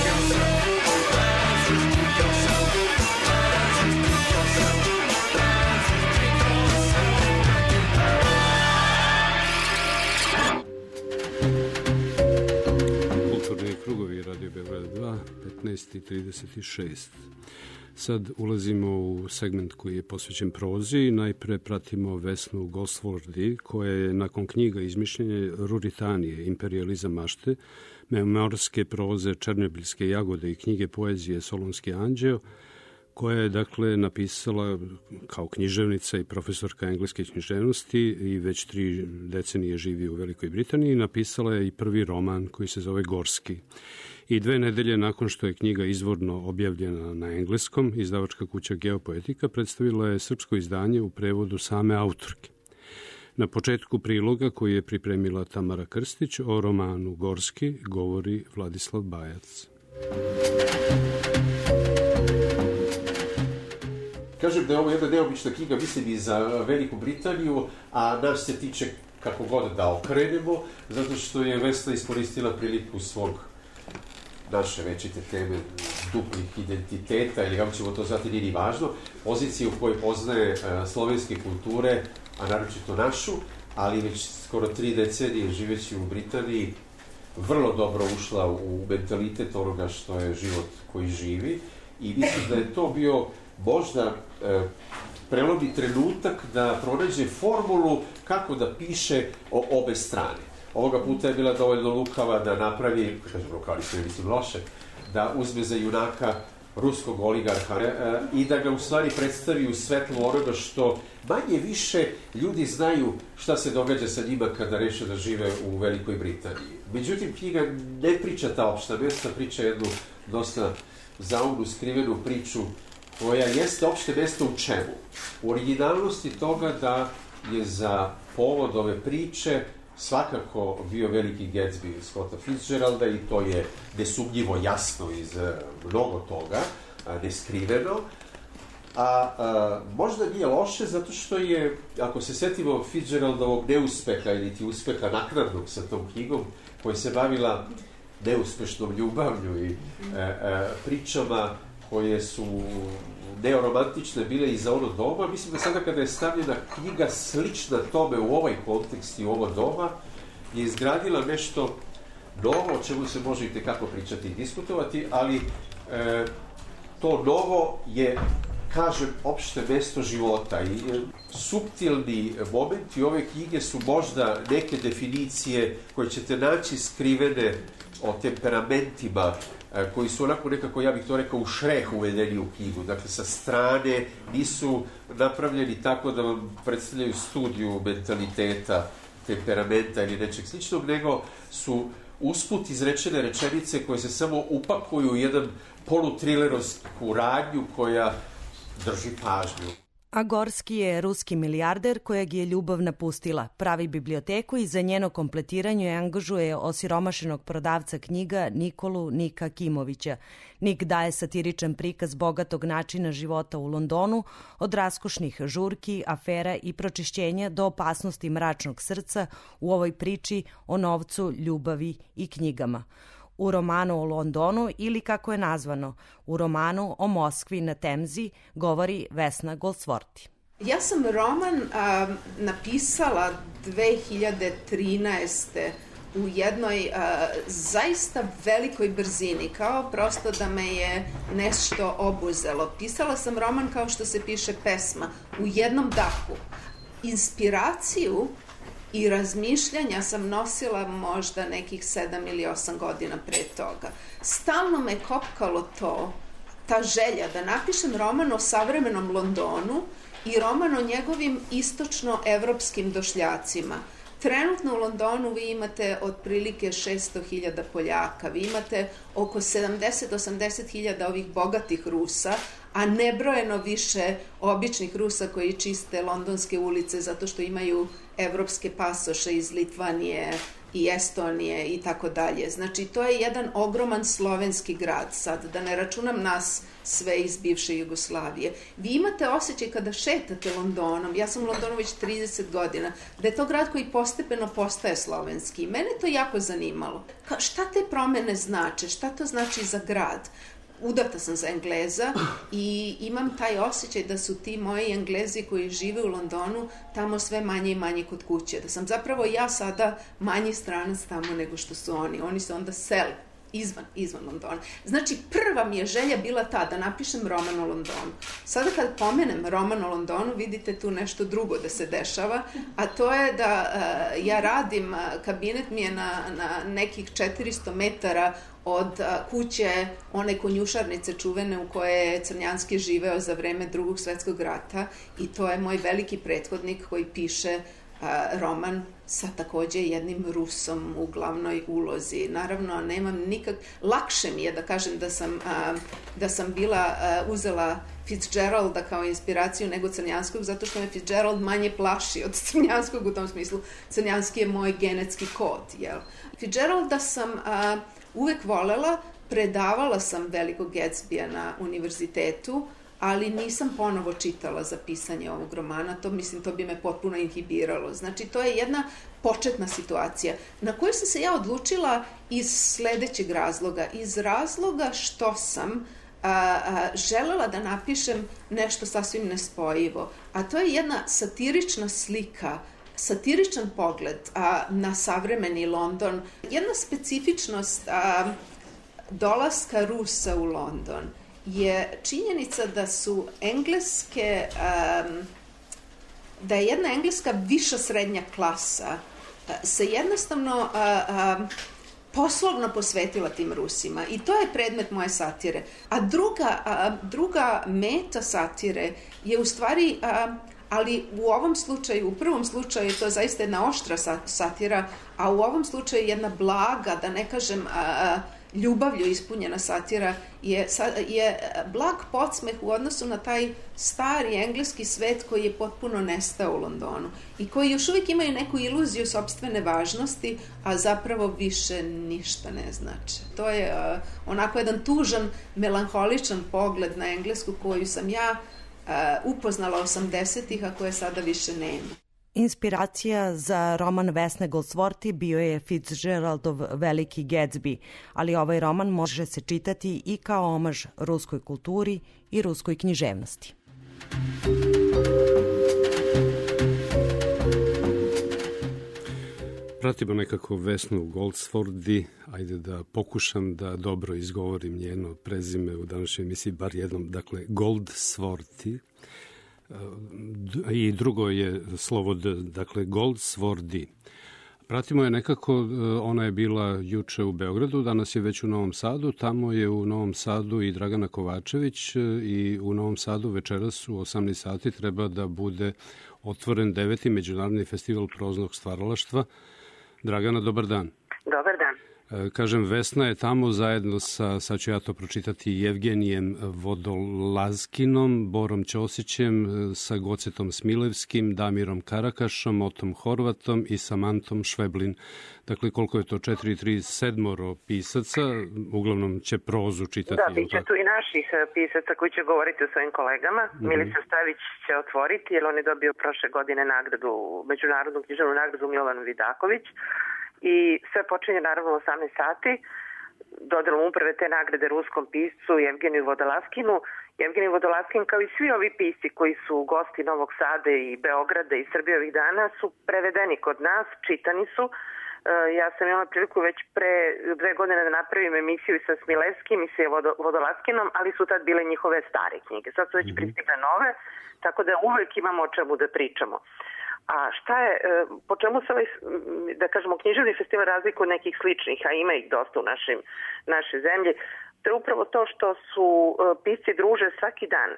yourself. Lazarus, dig yourself. Lazarus, dig yourself. Lazarus, dig Kulturni krugovi Radio Beograd dva, petnaest i trideset šest. Sad ulazimo u segment koji je posvećen prozi. Najpre pratimo Vesnu Gosworthy, koja je nakon knjiga Izmišljenje Ruritanije, Imperializam mašte, memorske proze Černobilske jagode i knjige poezije Solunski anđeo, koja je dakle napisala kao književnica i profesorka engleske književnosti i već tri decenije živi u Velikoj Britaniji. Napisala je i prvi roman koji se zove Gorski. I dve nedelje nakon što je knjiga izvorno objavljena na engleskom, izdavačka kuća Geopoetika predstavila je srpsko izdanje u prevodu same autorke. Na početku priloga koji je pripremila Tamara Krstić o romanu Gorski govori Vladislav Bajac. Kažem da je ovo jedna neobična knjiga, mislim i za Veliku Britaniju, a nas se tiče kako god da okrenemo, zato što je Vesna iskoristila priliku svog naše večite teme duplih identiteta, ili kako ćemo to zvati, nije ni važno, pozicije u kojoj poznaje slovenske kulture, a naročito našu, ali već skoro tri decenije živeći u Britaniji, vrlo dobro ušla u mentalitet onoga što je život koji živi i mislim da je to bio možda e, prelomni trenutak da pronađe formulu kako da piše o obe strane. Ovoga puta je bila dovoljno lukava da napravi, kažem lukava, ne mislim loše, da uzme za junaka ruskog oligarha e, i da ga u stvari predstavi u svetlu onoga što manje više ljudi znaju šta se događa sa njima kada reše da žive u Velikoj Britaniji. Međutim, knjiga ne priča ta opšta mesta, priča jednu dosta zaumnu, skrivenu priču koja jeste opšte mesto u čemu? U originalnosti toga da je za povod ove priče svakako bio veliki Gatsby Scotta Fitzgeralda i to je nesumnjivo jasno iz mnogo toga, neskriveno. A, a možda nije loše zato što je, ako se setimo Fitzgeraldovog neuspeha ili ti uspeha naknadnog sa tom knjigom, koja se bavila neuspešnom ljubavlju i a, a, pričama koje su neoromantične bile i za ono doba, mislim da sada kada je stavljena knjiga slična tome u ovaj kontekst i u ovo doba, je izgradila nešto novo, o čemu se može i tekako pričati i diskutovati, ali e, to novo je, kažem, opšte mesto života i e, suptilni momenti ove knjige su možda neke definicije koje ćete naći skrivene o temperamentima koji su onako nekako, ja bih to rekao, u šreh uvedeni u knjigu. Dakle, sa strane nisu napravljeni tako da vam predstavljaju studiju mentaliteta, temperamenta ili nečeg sličnog, nego su usput izrečene rečenice koje se samo upakuju u jedan polutrilerovsku radnju koja drži pažnju. A Gorski je ruski milijarder kojeg je ljubav napustila, pravi biblioteku i za njeno kompletiranje angažuje osiromašenog prodavca knjiga Nikolu Nika Kimovića. Nik daje satiričan prikaz bogatog načina života u Londonu, od raskošnih žurki, afera i pročišćenja do opasnosti mračnog srca u ovoj priči o novcu, ljubavi i knjigama. U romanu o Londonu ili kako je nazvano, u romanu o Moskvi na Temzi govori Vesna Gosworthy. Ja sam roman a, napisala dve hiljade trinaeste. u jednoj a, zaista velikoj brzini, kao prosto da me je nešto obuzelo. Pisala sam roman kao što se piše pesma, u jednom dahu. inspiraciju i razmišljanja sam nosila možda nekih sedam ili osam godina pre toga. Stalno me kopkalo to, ta želja da napišem roman o savremenom Londonu i roman o njegovim istočno-evropskim došljacima. Trenutno u Londonu vi imate otprilike šesto hiljada Poljaka, vi imate oko sedamdeset do osamdeset hiljada ovih bogatih Rusa, a nebrojeno više običnih Rusa koji čiste londonske ulice zato što imaju evropske pasoše iz Litvanije i Estonije i tako dalje. Znači, to je jedan ogroman slovenski grad sad, da ne računam nas sve iz bivše Jugoslavije. Vi imate osjećaj kada šetate Londonom, ja sam u Londonu već trideset godina, da je to grad koji postepeno postaje slovenski. Mene to jako zanimalo. Ka, šta te promene znače? Šta to znači za grad? Udata sam za Engleza i imam taj osjećaj da su ti moji Englezi koji žive u Londonu tamo sve manje i manje kod kuće. Da sam zapravo ja sada manji stranac tamo nego što su oni. Oni se onda sele izvan, izvan Londona. Znači, prva mi je želja bila ta, da napišem roman o Londonu. Sada kad pomenem roman o Londonu, vidite tu nešto drugo da se dešava, a to je da uh, ja radim, uh, kabinet mi je na, na nekih četiristo metara od uh, kuće one konjušarnice čuvene u koje je Crnjanski živeo za vreme Drugog svetskog rata i to je moj veliki prethodnik koji piše roman sa takođe jednim Rusom u glavnoj ulozi. Naravno, nemam nikak... Lakše mi je da kažem da sam, a, da sam bila a, uzela Fitzgeralda kao inspiraciju nego Crnjanskog, zato što me Fitzgerald manje plaši od Crnjanskog u tom smislu. Crnjanski je moj genetski kod, jel? Fitzgeralda sam a, uvek volela, predavala sam Velikog Gatsbya na univerzitetu, ali nisam ponovo čitala za pisanje ovog romana, to mislim, to bi me potpuno inhibiralo. Znači, to je jedna početna situacija na koju sam se ja odlučila iz sledećeg razloga. Iz razloga što sam a, a, želela da napišem nešto sasvim nespojivo, a to je jedna satirična slika, satiričan pogled a, na savremeni London, jedna specifičnost a, dolaska Rusa u London je činjenica da su engleske, um, da je jedna engleska viša srednja klasa uh, se jednostavno uh, uh, poslovno posvetila tim Rusima i to je predmet moje satire. A druga, uh, druga meta satire je u stvari, uh, ali u ovom slučaju, u prvom slučaju je to zaista jedna oštra satira, a u ovom slučaju jedna blaga, da ne kažem uh, ljubavlju ispunjena satira je, je blag podsmeh u odnosu na taj stari engleski svet koji je potpuno nestao u Londonu i koji još uvijek imaju neku iluziju sopstvene važnosti, a zapravo više ništa ne znači. To je uh, onako jedan tužan, melanholičan pogled na Englesku koju sam ja uh, upoznala osamdesetih, a koje sada više nema. Inspiracija za roman Vesne Goldsworthy bio je Fitzgeraldov Veliki Gatsby, ali ovaj roman može se čitati i kao omaž ruskoj kulturi i ruskoj književnosti. Pratimo nekako Vesnu Goldsworthy, ajde da pokušam da dobro izgovorim njeno prezime u današnjoj emisiji, bar jednom, dakle Goldsworthy. I drugo je slovo D, dakle Goldsworthy. Pratimo je nekako, ona je bila juče u Beogradu, danas je već u Novom Sadu, tamo je u Novom Sadu i Dragana Kovačević i u Novom Sadu večeras u osamnaest sati treba da bude otvoren deveti Međunarodni festival proznog stvaralaštva. Dragana, dobar dan. Dobar dan. Kažem, Vesna je tamo zajedno sa, sad ću ja to pročitati, Jevgenijem Vodolazkinom, Borom Ćosićem, sa Gocetom Smilevskim, Damirom Karakašom, Otom Horvatom i Samantom Šveblin. Dakle, koliko je to? Četiri, tri, sedmoro pisaca, uglavnom će prozu čitati. Da, bit će tu i naših pisaca koji će govoriti o svojim kolegama. Mm-hmm. Milica Stavić će otvoriti, jer on je dobio prošle godine nagradu, međunarodnu književnu nagradu Milovan Vidaković. I sve počinje naravno u osamnaest sati, dodelom uprave te nagrade ruskom piscu Jevgeniju Vodolazkinu. Jevgenij Vodolaskin, kao i svi ovi pisci koji su gosti Novog Sada i Beograda i Srbije ovih dana, su prevedeni kod nas, čitani su. Ja sam imala priliku već pre dve godine da napravim emisiju sa Smilevskim i sa Vodolaskinom, ali su tad bile njihove stare knjige. Sad su već pristigle nove, tako da uvek imamo o čemu da pričamo. A šta je, po čemu se ovaj, da kažemo, književni festival razlikuje od nekih sličnih, a ima ih dosta u našim, našoj zemlji, to je upravo to što su pisci druže svaki dan.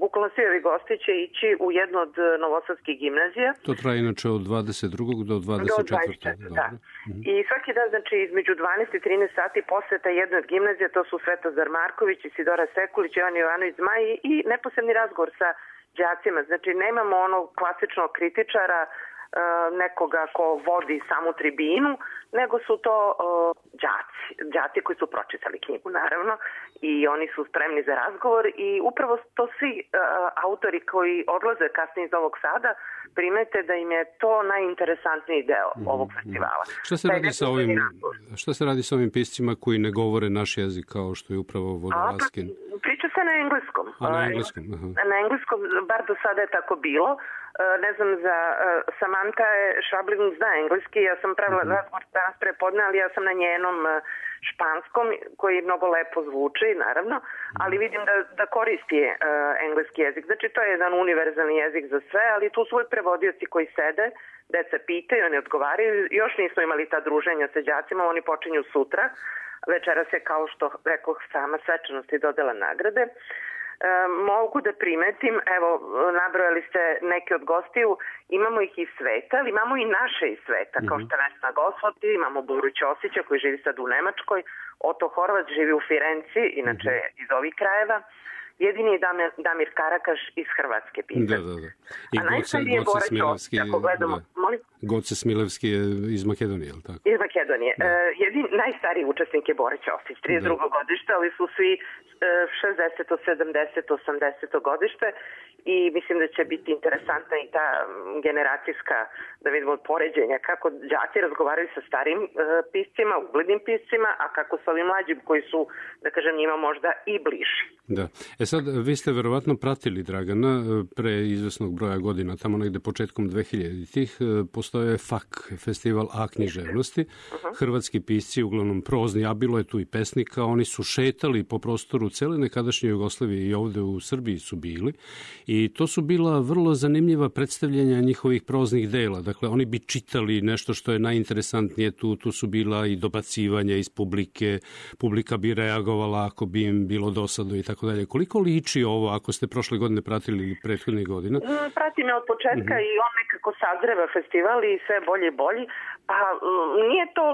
Bukvalno svi ovi gosti će ići u jednu od novosadskih gimnazija. To traje inače od dvadeset drugog do dvadeset četvrtog Do da. Mm-hmm. I svaki dan, znači, između dvanaest i trinaest sati poseta jedne od gimnazija, to su Svetozar Marković, Isidora Sekulić, Jovan Jovanović Zmaji i neposredni razgovor sa đacima. Znači, nemamo onog klasičnog kritičara, nekoga ko vodi samu tribinu, nego su to uh, đaci, đaci koji su pročitali knjigu, naravno, i oni su spremni za razgovor i upravo to svi uh, autori koji odlaze kasnije iz Novog Sada primete da im je to najinteresantniji deo mm-hmm. ovog festivala. Šta se, radi sa ovim, šta se radi sa ovim piscima koji ne govore naš jezik kao što je upravo Vodolaskin? Pa, priča se na engleskom. A, na engleskom, aha. Na engleskom, bar do sada je tako bilo. Ne znam, za Samantha Švablin zna engleski, ja sam pravila mm-hmm. razgovor danas prepodne, ali ja sam na njenom španskom, koji mnogo lepo zvuči, naravno, ali vidim da, da koristi uh, engleski jezik. Znači, to je jedan univerzalni jezik za sve, ali tu su uvijek prevodioci koji sede, deca pitaju, oni odgovaraju. Još nismo imali ta druženja sa đacima, oni počinju sutra. Večeras je, kao što rekoh, sama svečanost i dodela nagrade. E, mogu da primetim, evo, nabrojali ste neke od gostiju, imamo ih iz sveta, ali imamo i naše iz sveta, mm-hmm. kao što je Vesna Gosvoti, imamo Boru Ćosića koji živi sad u Nemačkoj, Oto Horvat živi u Firenci, inače mm-hmm. iz ovih krajeva, jedini je Damir, Damir Karakaš iz Hrvatske pisac. Da, da, da. I Goce, Goce Smilevski, gledamo, da. Goce Smilevski je iz Makedonije, je li tako? Iz Makedonije. Da. Uh, jedin, najstariji učesnik je Bora Ćosić, trideset drugo Da. godište, ali su svi uh, šezdeseto, sedamdeseto, osamdeseto godište i mislim da će biti interesantna i ta generacijska, da vidimo, poređenja, kako đaci razgovaraju sa starim uh, piscima, uglednim piscima, a kako sa ovim mlađim koji su, da kažem, njima možda i bliži. Da. E sad, vi ste verovatno pratili Dragana pre izvesnog broja godina, tamo negde početkom dvehiljaditih, postoje F A K, Festival A književnosti. Uh-huh. Hrvatski pisci, uglavnom prozni, a bilo je tu i pesnika, oni su šetali po prostoru cele nekadašnje Jugoslavije i ovde u Srbiji su bili. I to su bila vrlo zanimljiva predstavljanja njihovih proznih dela. Dakle, oni bi čitali nešto što je najinteresantnije tu, tu su bila i dobacivanja iz publike, publika bi reagovala ako bi im bilo dosado i tako dalje. Koliko liči ovo, ako ste prošle godine pratili ili prethodnih godina? Pratim je od početka mm-hmm. i on nekako sazreva festival i sve bolje i bolji. Pa nije to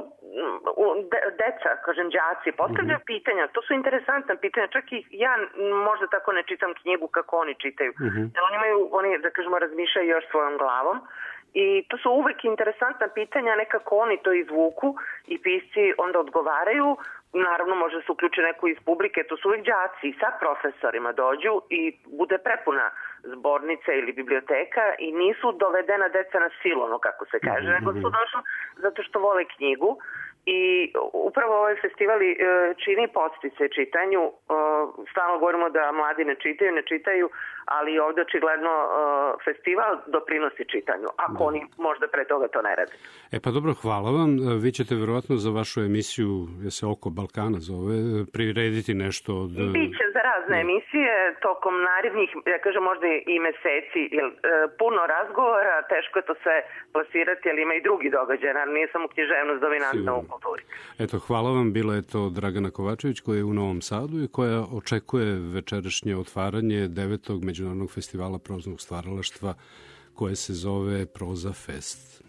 de, deca, kažem, đaci, postavljaju mm-hmm. pitanja, to su interesantna pitanja, čak i ja možda tako ne čitam knjigu kako oni čitaju. Mm-hmm. Jer oni imaju, oni, da kažemo, razmišljaju još svojom glavom. I to su uvek interesantna pitanja, nekako oni to izvuku i pisci onda odgovaraju. Naravno, može se uključiti neko iz publike, to su uvijek đaci i sa profesorima dođu i bude prepuna zbornica ili biblioteka i nisu dovedena deca na silu, ono kako se kaže, mm-hmm. nego su došli zato što vole knjigu. I upravo ovaj festival čini podstice čitanju. Stalno govorimo da mladi ne čitaju, ne čitaju, ali ovde očigledno festival doprinosi čitanju, ako da. Oni možda pre toga to ne rade. E pa dobro, hvala vam. Vi ćete verovatno za vašu emisiju, je se Oko Balkana zove, prirediti nešto od... Biće za razne da. emisije tokom narednih, ja kažem možda i meseci, jer puno razgovora, teško je to sve plasirati, ali ima i drugi događaj, naravno nije samo književnost dominantna u kulturi. Eto, hvala vam. Bila je to Dragana Kovačević koja je u Novom Sadu i koja očekuje večerašnje otvaranje devetog Međunarodnog festivala proznog stvaralaštva koje se zove Proza Fest.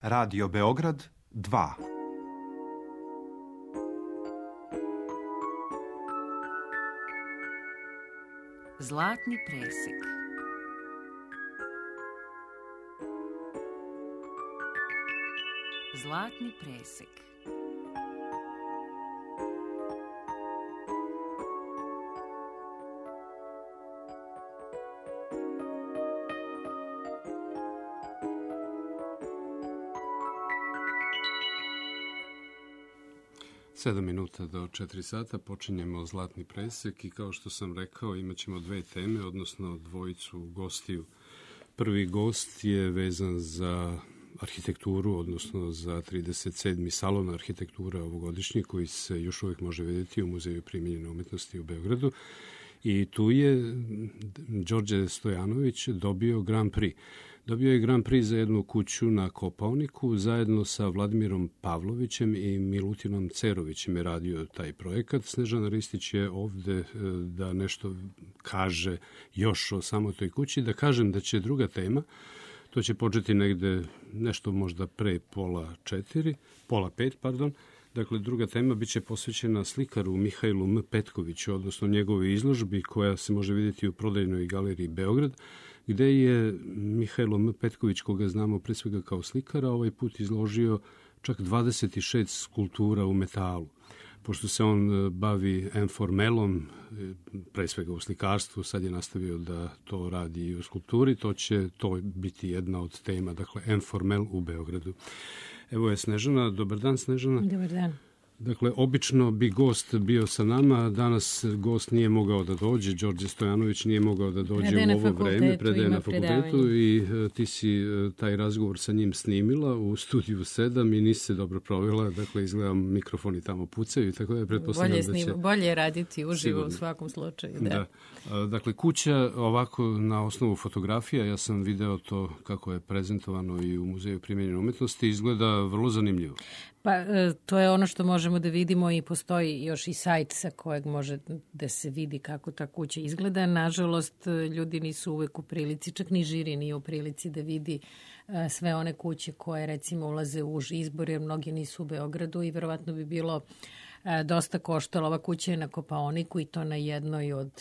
Radio Beograd dva. Zlatni presek. Zlatni presek. Sedam minuta do četiri sata, počinjemo Zlatni presek i kao što sam rekao imat ćemo dve teme, odnosno dvojicu gostiju. Prvi gost je vezan za arhitekturu, odnosno za trideset sedmi salon arhitektura ovogodišnji koji se još uvijek može vidjeti u Muzeju primijenjene umetnosti u Beogradu. I tu je Đorđe Stojanović dobio Grand Prix. Dobio je Grand Prix za jednu kuću na Kopaoniku, zajedno sa Vladimirom Pavlovićem i Milutinom Cerovićem je radio taj projekat. Snežana Ristić je ovde da nešto kaže još o samo toj kući. Da kažem da će druga tema, to će početi negde nešto možda pre pola četiri, pola pet, pardon. Dakle, druga tema biće posvećena slikaru Mihajlu M. Petkoviću, odnosno njegovoj izložbi koja se može vidjeti u prodajnoj galeriji Beograd, gde je Mihajlo M. Petković, koga znamo pre svega kao slikara, ovaj put izložio čak dvadeset šest skulptura u metalu. Pošto se on bavi enformelom, pre svega u slikarstvu, sad je nastavio da to radi i u skulpturi, to će to biti jedna od tema, dakle, enformel u Beogradu. Evo je Snežana. Dobar dan, Snežana. Dobar dan. Dakle, obično bi gost bio sa nama, danas gost nije mogao da dođe, Đorđe Stojanović nije mogao da dođe predaje u ovo vreme, predaje na fakultetu i uh, ti si uh, taj razgovor sa njim snimila u studiju sedam i nisi se dobro provela, dakle izgledam mikrofoni tamo pucaju i tako da je pretpostavljam da će... Bolje je raditi uživo sigurno. U svakom slučaju. Da. Da. Uh, dakle, kuća ovako na osnovu fotografija, ja sam video to kako je prezentovano i u Muzeju primenjene umetnosti, izgleda vrlo zanimljivo. Pa to je ono što možemo da vidimo i postoji još i sajt sa kojeg može da se vidi kako ta kuća izgleda. Nažalost, ljudi nisu uvek u prilici, čak ni žiri nije u prilici da vidi sve one kuće koje recimo ulaze u uži izbor, jer mnogi nisu u Beogradu i verovatno bi bilo dosta koštalo. Ova kuća je na Kopaoniku i to na jednoj od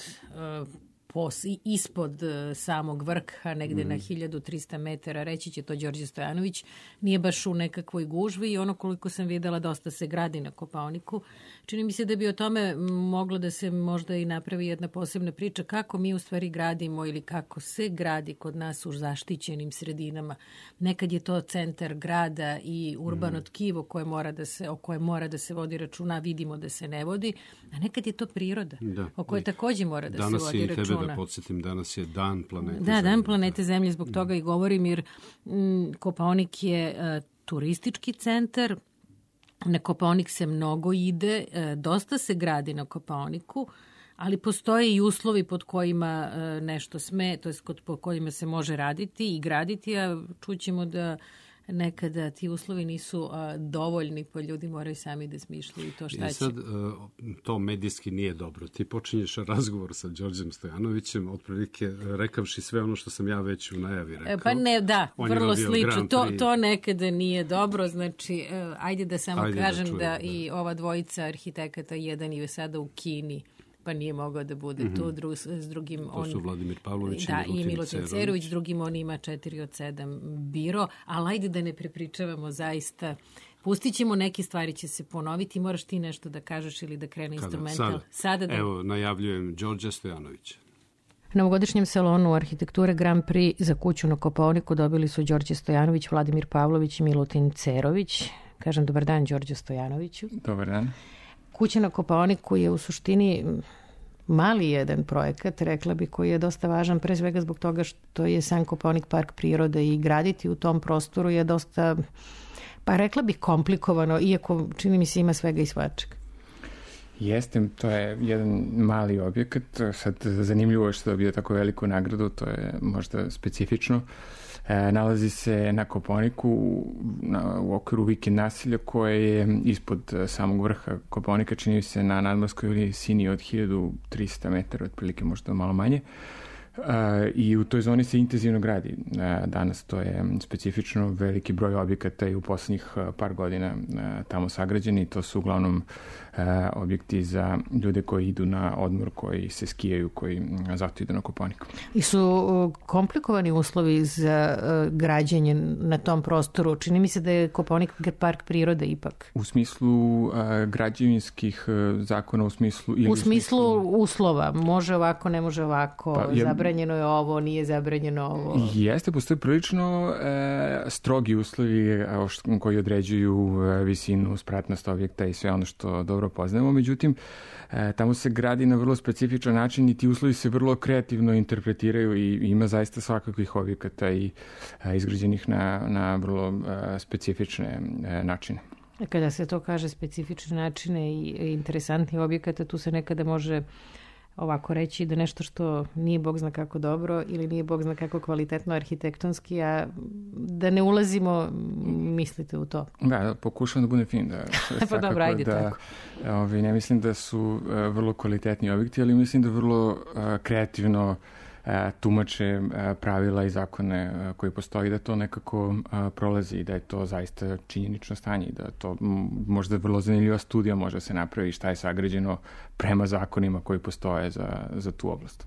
pos, ispod samog vrha, negde mm. na hiljadu trista metara, reći će to Đorđe Stojanović, nije baš u nekakvoj gužvi i ono koliko sam videla dosta se gradi na Kopaoniku. Čini mi se da bi o tome moglo da se možda i napravi jedna posebna priča kako mi u stvari gradimo ili kako se gradi kod nas u zaštićenim sredinama. Nekad je to centar grada i urbano mm. tkivo koje mora da se, o koje mora da se vodi računa, vidimo da se ne vodi, a nekad je to priroda da. O kojoj takođe mora da danas se vodi računa. Da podsjetim, danas je dan planete da, Zemlje. Da, dan planete Zemlje, zbog toga i govorim, jer m, Kopaonik je a, turistički centar, na Kopaonik se mnogo ide, a, dosta se gradi na Kopaoniku, ali postoje i uslovi pod kojima a, nešto sme, to je pod kojima se može raditi i graditi, a čućemo da nekada ti uslovi nisu a, dovoljni, pa ljudi moraju sami da smišljaju to šta će. I sad, a, to medijski nije dobro. Ti počinješ razgovor sa Đorđem Stojanovićem, otprilike rekavši sve ono što sam ja već u najavi rekao. Pa ne, da, on vrlo slično. To, to nekada nije dobro, znači, ajde da samo ajde kažem da, čujem, da, da i ova dvojica arhitekata, jedan je sada u Kini, pa nije mogao da bude mm-hmm. tu dru, s drugim. To on, su Vladimir Pavlović da, i Milutin, Milutin Cerović, drugim on ima četiri od sedam biro, ali ajde da ne prepričavamo zaista. Pustit ćemo, neke stvari će se ponoviti, moraš ti nešto da kažeš ili da krene Kada? instrumental. Sada, Sada da... Evo, najavljujem Đorđe Stojanovića. Na ovogodišnjem salonu arhitekture Grand Prix za kuću na Kopaoniku dobili su Đorđe Stojanović, Vladimir Pavlović i Milutin Cerović. Kažem dobar dan Đorđe Stojanoviću. Dobar dan. Kuća na Kopaoniku je u suštini mali jedan projekat, rekla bi, koji je dosta važan, pre svega zbog toga što je sam Kopaonik park prirode i graditi u tom prostoru je dosta, pa rekla bih, komplikovano, iako čini mi se ima svega i svačega. Jeste, to je jedan mali objekat, sad zanimljivo je što je dobio tako veliku nagradu, to je možda specifično. E, nalazi se na Kopaoniku na, u okviru vikend naselja koje je ispod samog vrha Kopaonika, čini se na nadmorskoj visini od hiljadu trista metara, otprilike možda malo manje. E, I u toj zoni se intenzivno gradi. E, danas to je specifično, veliki broj objekata i u poslednjih par godina e, tamo sagrađeni. To su uglavnom e, objekti za ljude koji idu na odmor, koji se skijaju, koji zato idu na Kopaoniku. I su komplikovani uslovi za uh, građenje na tom prostoru? Čini mi se da je Kopaonik park prirode ipak. U smislu uh, građevinskih uh, zakona, u smislu... Ili u smislu uslova. Može ovako, ne može ovako. Pa, ja, zabranjeno je ovo, nije zabranjeno ovo. Jeste, postoje prilično uh, strogi uslovi uh, koji određuju uh, visinu, spratnost objekta i sve ono što dobro poznajemo. Međutim, uh, tamo se gradi na vrlo specifičan način i ti uslovi se vrlo kreativno interpretiraju i ima zaista svakakvih objekata i a, izgrađenih na, na vrlo a, specifične a, načine. Kada se to kaže specifične načine i interesantnih objekata, tu se nekada može ovako reći da nešto što nije bog zna kako dobro ili nije bog zna kako kvalitetno arhitektonski, a da ne ulazimo, mislite u to? Da, pokušam da budem fin. Da, pa dobro, ajde da, tako. Ovi, ne mislim da su uh, vrlo kvalitetni objekti, ali mislim da vrlo uh, kreativno uh, tumače uh, pravila i zakone uh, koji postoji, da to nekako uh, prolazi i da je to zaista činjenično stanje i da to m, možda vrlo zanimljiva studija može se napravi šta je sagrađeno prema zakonima koji postoje za, za tu oblast.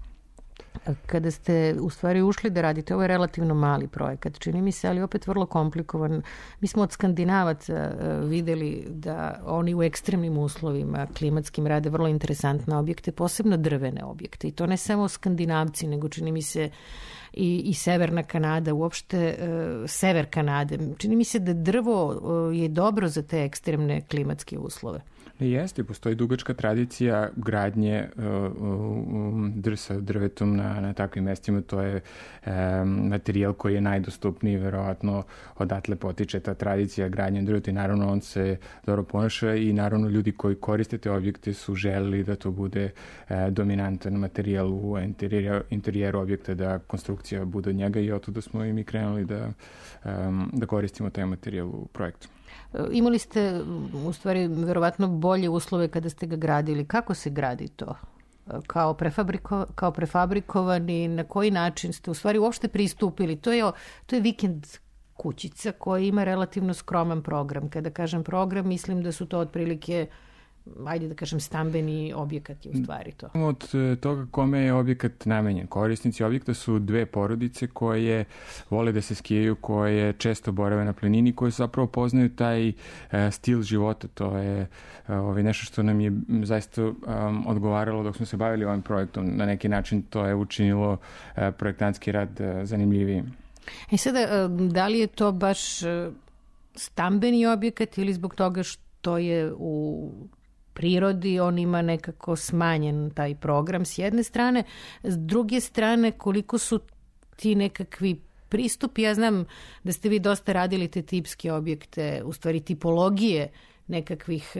Kada ste u stvari ušli da radite, ovo je relativno mali projekat, čini mi se, ali opet vrlo komplikovan. Mi smo od Skandinavaca videli da oni u ekstremnim uslovima klimatskim rade vrlo interesantne objekte, posebno drvene objekte. I to ne samo Skandinavci, nego čini mi se i, i Severna Kanada, uopšte uh, Sever Kanade. Čini mi se da drvo uh, je dobro za te ekstremne klimatske uslove. Jeste, postoji dugačka tradicija gradnje uh, uh, drsa drvetom na, na takvim mestima. To je um, materijal koji je najdostupniji, verovatno odatle potiče ta tradicija gradnje drveta i naravno on se dobro ponaša i naravno ljudi koji koriste te objekte su želeli da to bude uh, dominantan materijal u interijeru, interijeru objekta, da konstrukcija bude od njega i oto da smo i mi krenuli da, um, da koristimo taj materijal u projektu. Imali ste u stvari verovatno bolje uslove kada ste ga gradili. Kako se gradi to? Kao, prefabriko, kao prefabrikovani, na koji način ste u stvari uopšte pristupili? To je, to je vikend kućica koja ima relativno skroman program. Kada kažem program, mislim da su to otprilike, ajde da kažem, stambeni objekat je u stvari to. Od toga kome je objekat namenjen. Korisnici objekta su dve porodice koje vole da se skijaju, koje često borave na planini, koje zapravo poznaju taj uh, stil života. To je uh, ovaj, nešto što nam je zaista um, odgovaralo dok smo se bavili ovim projektom. Na neki način to je učinilo uh, projektantski rad uh, zanimljivijim. E sada, da li je to baš uh, stambeni objekat ili zbog toga što je u prirodi, on ima nekako smanjen taj program s jedne strane, s druge strane koliko su ti nekakvi pristupi, ja znam da ste vi dosta radili te tipske objekte, u stvari tipologije nekakvih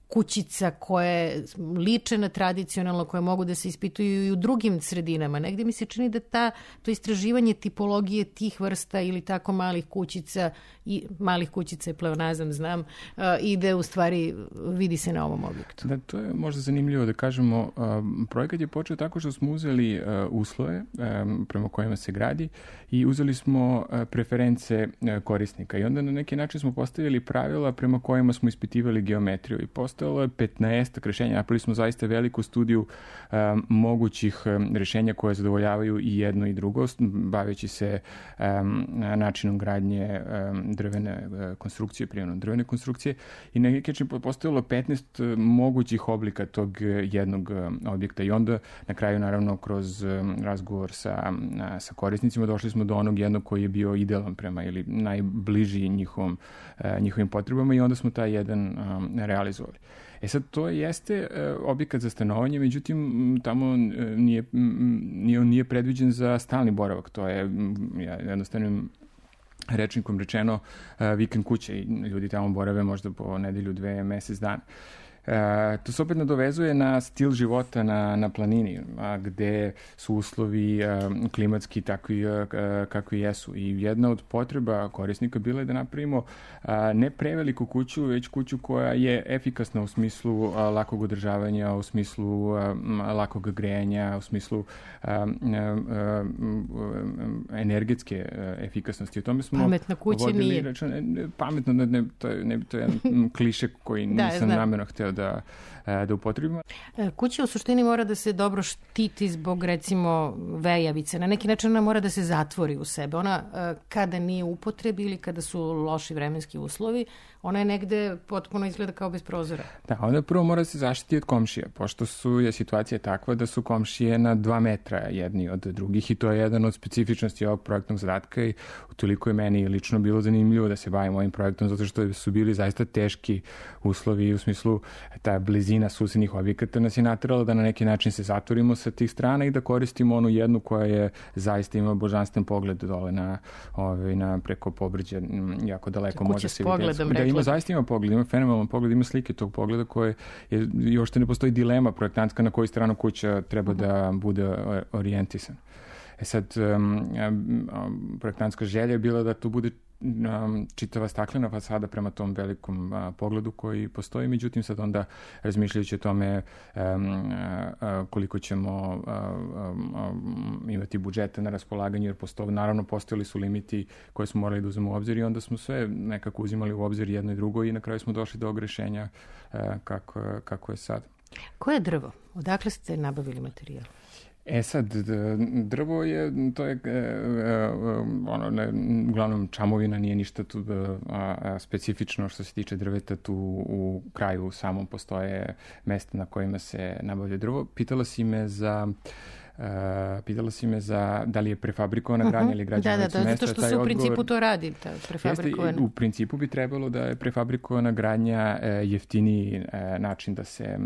kućica koje liče na tradicionalno, koje mogu da se ispituju i u drugim sredinama. Negde mi se čini da ta, to istraživanje tipologije tih vrsta ili tako malih kućica, i malih kućica je pleonazam, znam, uh, ide u stvari, vidi se na ovom objektu. Da, to je možda zanimljivo da kažemo. Uh, projekat je počeo tako što smo uzeli uh, uslove um, prema kojima se gradi i uzeli smo uh, preference uh, korisnika i onda na neki način smo postavili pravila prema kojima smo ispitivali geometriju i postavili je petnaest rešenja. Napravili smo zaista veliku studiju um, mogućih um, rešenja koje zadovoljavaju i jedno i drugo, baveći se um, načinom gradnje um, drvene uh, konstrukcije, primjenom drvene konstrukcije i na neki način postavilo petnaest uh, mogućih oblika tog uh, jednog uh, objekta i onda na kraju naravno kroz um, razgovor sa, uh, sa korisnicima došli smo do onog jednog koji je bio idealan prema ili najbliži njihovom, uh, njihovim potrebama i onda smo taj jedan um, realizovali. E sad, to jeste uh, objekat za stanovanje, međutim, tamo uh, nije, nije, nije predviđen za stalni boravak. To je um, ja, jednostavnim rečnikom rečeno uh, vikend kuće i ljudi tamo borave možda po nedelju, dve, mesec dana. E, to se opet nadovezuje na stil života na, na planini, a, gde su uslovi a, klimatski takvi a, kakvi jesu. I jedna od potreba korisnika bila je da napravimo a, ne preveliku kuću, već kuću koja je efikasna u smislu a, lakog održavanja, u smislu a, lakog grejanja, u smislu a, a, a, energetske a, efikasnosti. O tome smo pametna kuća nije. Rečan, ne, pametno, ne, ne, to, je, ne, to je jedan kliše koji da, nisam namjerno hteo da, da upotrebimo. Kuća u suštini mora da se dobro štiti zbog recimo vejavice. Na neki način ona mora da se zatvori u sebe. Ona kada nije u upotrebi ili kada su loši vremenski uslovi, ona je negde potpuno izgleda kao bez prozora. Da, onda prvo mora se zaštiti od komšija, pošto su, je situacija takva da su komšije na dva metra jedni od drugih i to je jedan od specifičnosti ovog projektnog zadatka i utoliko je meni lično bilo zanimljivo da se bavim ovim projektom zato što su bili zaista teški uslovi u smislu ta blizina susednih objekata nas je naterala da na neki način se zatvorimo sa tih strana i da koristimo onu jednu koja je zaista ima božanstven pogled dole na, ove, na preko pobrđe, jako daleko može se vidjeti. Da, ima zaista ima pogled, ima fenomenalan pogled, ima slike tog pogleda koje je, još te ne postoji dilema projektantska na koju stranu kuća treba da bude orijentisan. E sad, um, um, projektantska želja je bila da to bude um, čitava staklena fasada prema tom velikom uh, pogledu koji postoji, međutim sad onda razmišljajući o tome um, uh, koliko ćemo uh, um, um, imati budžeta na raspolaganju, jer postoji, naravno postojali su limiti koje smo morali da uzmemo u obzir i onda smo sve nekako uzimali u obzir jedno i drugo i na kraju smo došli do ovog rešenja uh, kako, kako je sad. Koje je drvo? Odakle ste nabavili materijal? E sad, drvo je, to je, ono, ne, uglavnom čamovina, nije ništa tu a, a, specifično što se tiče drveta, tu u kraju samom postoje mesta na kojima se nabavlja drvo. Pitala si me za... Uh, pitala si me za da li je prefabrikovana gradnja uh-huh. ili građana da, licu da, da, mesta. zato što se u principu odgovor... to radi, ta prefabrikovana. Jeste, u principu bi trebalo da je prefabrikovana gradnja e, jeftiniji e, način da se, e,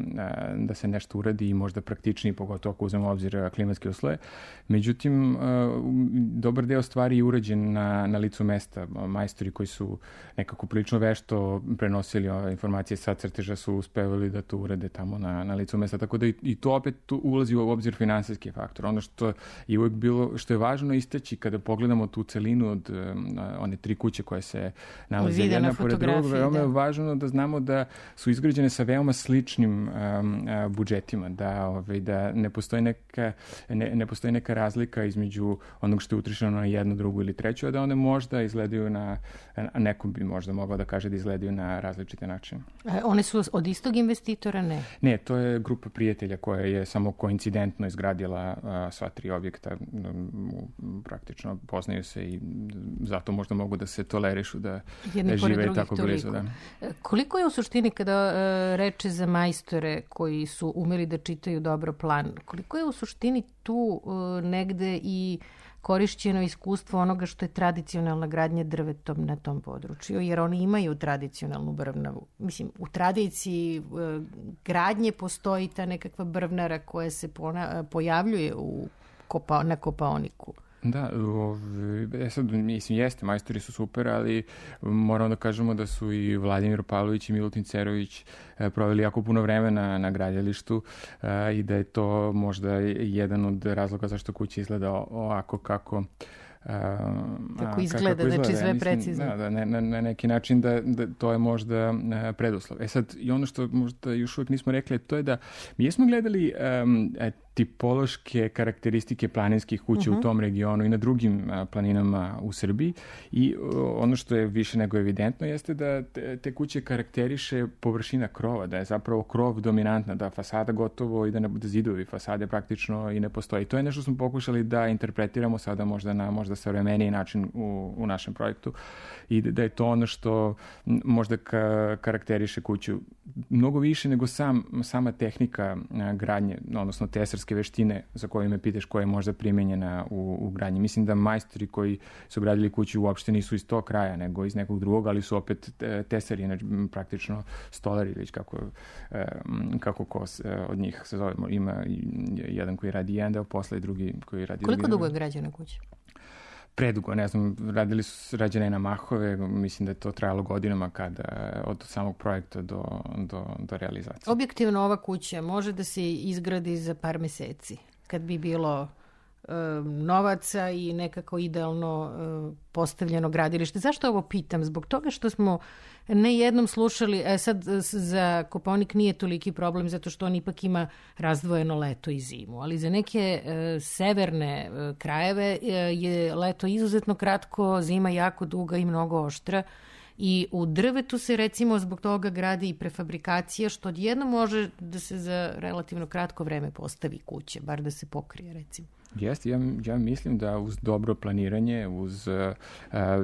da se nešto uradi i možda praktičniji, pogotovo ako uzmemo obzir klimatske uslove. Međutim, e, dobar deo stvari je urađen na, na licu mesta. Majstori koji su nekako prilično vešto prenosili ove informacije sa crteža su uspevali da to urade tamo na, na licu mesta. Tako da i, i to opet tu ulazi u obzir finansijski faktor. Ono što je uvijek bilo, što je važno isteći kada pogledamo tu celinu od um, one tri kuće koje se nalaze jedna pored drugog, veoma je važno da znamo da su izgrađene sa veoma sličnim um, budžetima, da, ovaj, da ne postoji neka, ne, ne postoji neka razlika između onog što je utrošeno na jednu, drugu ili treću, a da one možda izgledaju na, a neko bi možda mogao da kaže da izgledaju na različite načine. A one su od istog investitora, ne? Ne, to je grupa prijatelja koja je samo koincidentno izgradila a, sva tri objekta, praktično poznaju se i zato možda mogu da se tolerišu da, da žive tako blizu. Da. Koliko je u suštini kada uh, reče za majstore koji su umeli da čitaju dobro plan, koliko je u suštini tu uh, negde i korišćeno iskustvo onoga što je tradicionalna gradnja drvetom na tom području, jer oni imaju tradicionalnu brvnavu. Mislim, u tradiciji uh, gradnje postoji ta nekakva brvnara koja se pona, pojavljuje u kopa, na kopaoniku. Da, e sad, mislim, jeste, majstori su super, ali moramo da kažemo da su i Vladimir Pavlović i Milutin Cerović proveli jako puno vremena na gradilištu a, i da je to možda jedan od razloga zašto kuća izgleda ovako kako Uh, kako izgleda, kako izgleda, znači sve mislim, precizno. Da, da, ne, na, na neki način da, da to je možda uh, preduslov. E sad, i ono što možda još uvijek nismo rekli, to je da mi jesmo gledali um, tipološke karakteristike planinskih kuća uh-huh. u tom regionu i na drugim uh, planinama u Srbiji i uh, ono što je više nego evidentno jeste da te, te kuće karakteriše površina krova, da je zapravo krov dominantna, da fasada gotovo i da ne bude zidovi fasade praktično i ne postoji. To je nešto smo pokušali da interpretiramo sada možda na možda savremeniji način u, u našem projektu i da je to ono što možda ka, karakteriše kuću mnogo više nego sam, sama tehnika gradnje, odnosno tesarske veštine za koje me pitaš koja je možda primenjena u, u gradnji. Mislim da majstori koji su gradili kuću uopšte nisu iz tog kraja, nego iz nekog drugog, ali su opet tesari, praktično stolari, već kako, kako ko od njih se zove. Ima jedan koji radi jedan deo posla i drugi koji radi... Koliko dugo je građena kuća? Predugo, ne znam, radili su rađene na mahove, mislim da je to trajalo godinama kada, od samog projekta do, do, do realizacije. Objektivno ova kuća može da se izgradi za par meseci, kad bi bilo e, novaca i nekako idealno e, postavljeno gradilište. Zašto ovo pitam? Zbog toga što smo ne jednom slušali, e sad za Kopaonik nije toliki problem zato što on ipak ima razdvojeno leto i zimu, ali za neke e, severne e, krajeve e, je leto izuzetno kratko, zima jako duga i mnogo oštra i u drvetu se recimo zbog toga gradi i prefabrikacija što odjedno može da se za relativno kratko vreme postavi kuće, bar da se pokrije recimo. Jeste, ja, ja mislim da uz dobro planiranje, uz uh,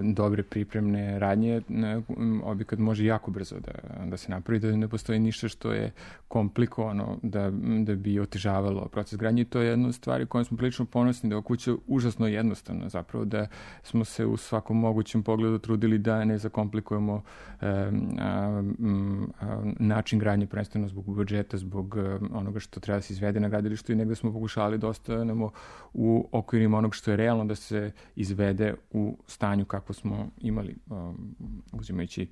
dobre pripremne radnje, uh, objekat može jako brzo da, da se napravi, da ne postoji ništa što je komplikovano da, da bi otežavalo proces gradnje. To je jedna od stvari kojom smo prilično ponosni, da je kuća užasno jednostavna, zapravo da smo se u svakom mogućem pogledu trudili da ne zakomplikujemo uh, uh, uh, način gradnje, prvenstveno zbog budžeta, zbog uh, onoga što treba da se izvede na gradilištu i negde smo pokušali dosta nemo u okvirima onog što je realno da se izvede u stanju kako smo imali, um, uzimajući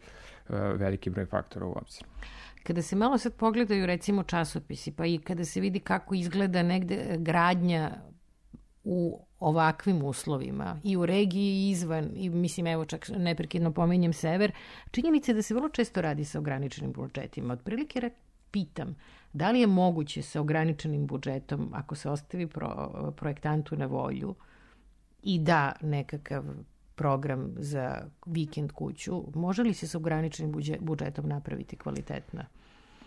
uh, veliki broj faktora u obzir. Kada se malo sad pogledaju recimo časopisi, pa i kada se vidi kako izgleda negde gradnja u ovakvim uslovima i u regiji i izvan, i mislim evo čak neprekidno pominjem sever, činjenica je da se vrlo često radi sa ograničenim budžetima. Otprilike pitam, da li je moguće sa ograničenim budžetom, ako se ostavi pro, projektantu na volju i da nekakav program za vikend kuću, može li se sa ograničenim budžetom napraviti kvalitetna?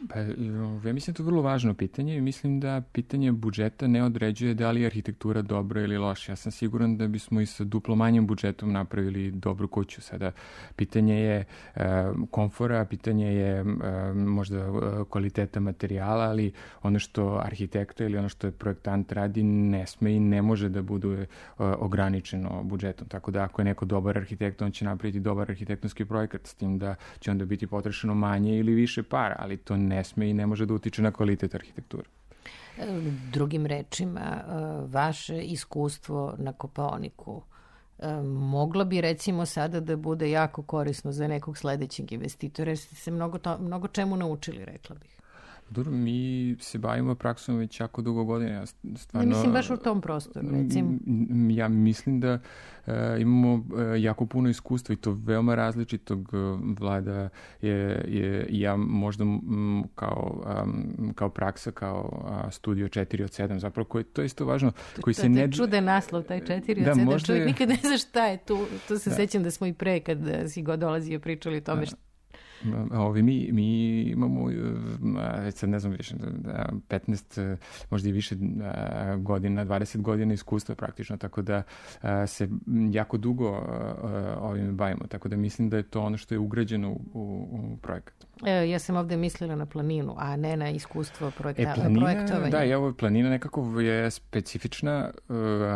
Pa, ja mislim da je to vrlo važno pitanje i mislim da pitanje budžeta ne određuje da li je arhitektura dobra ili loša. Ja sam siguran da bismo i sa duplo manjim budžetom napravili dobru kuću. Sada pitanje je uh, komfora, pitanje je uh, možda uh, kvaliteta materijala, ali ono što arhitekta ili ono što je projektant radi ne sme i ne može da bude uh, ograničeno budžetom. Tako da ako je neko dobar arhitekt, on će napraviti dobar arhitektonski projekat, s tim da će onda biti potrošeno manje ili više para, ali to ne ne sme i ne može da utiče na kvalitet arhitekture. Drugim rečima, vaše iskustvo na Kopaoniku moglo bi recimo sada da bude jako korisno za nekog sledećeg investitora, jer ste se mnogo, to, mnogo čemu naučili, rekla bih. Dobro, mi se bavimo praksom već jako dugo godina. Ja stvarno, ne mislim baš u tom prostoru, recimo. Ja mislim da uh, imamo uh, jako puno iskustva i to veoma različitog. Uh, Vlada je, je ja možda m, kao, um, kao praksa, kao uh, studio četiri od sedam, zapravo koji, to je isto važno. Koji to, se to ne... je čudan naslov, taj četiri od sedam. Čovjek nikad ne zna šta je tu. To se da. Sećam da smo i pre, kad si god dolazio, pričali o tome šta. Ovi, mi, mi imamo, sad ne znam više, petnaest, možda i više godina, dvadeset godina iskustva praktično, tako da se jako dugo ovim bavimo, tako da mislim da je to ono što je ugrađeno u, u projekat. E, ja sam ovde mislila na planinu, a ne na iskustvo projekta, e, planina, projektovanja. Da, i ovo planina nekako je specifična,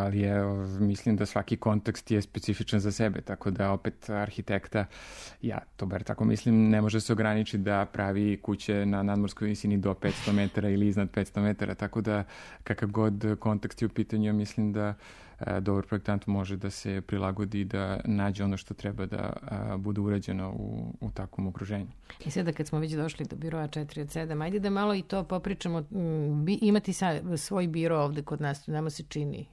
ali je, mislim da svaki kontekst je specifičan za sebe, tako da opet arhitekta, ja to bar tako mislim, ne može se ograničiti da pravi kuće na nadmorskoj visini do petsto metara ili iznad petsto metara, tako da kakav god kontekst je u pitanju, mislim da a, dobar projektant može da se prilagodi i da nađe ono što treba da a, bude urađeno u, u takvom okruženju. I sada kad smo već došli do biroa četiri od sedam, ajde da malo i to popričamo. Bi, imati sa, svoj biro ovde kod nas, nama se čini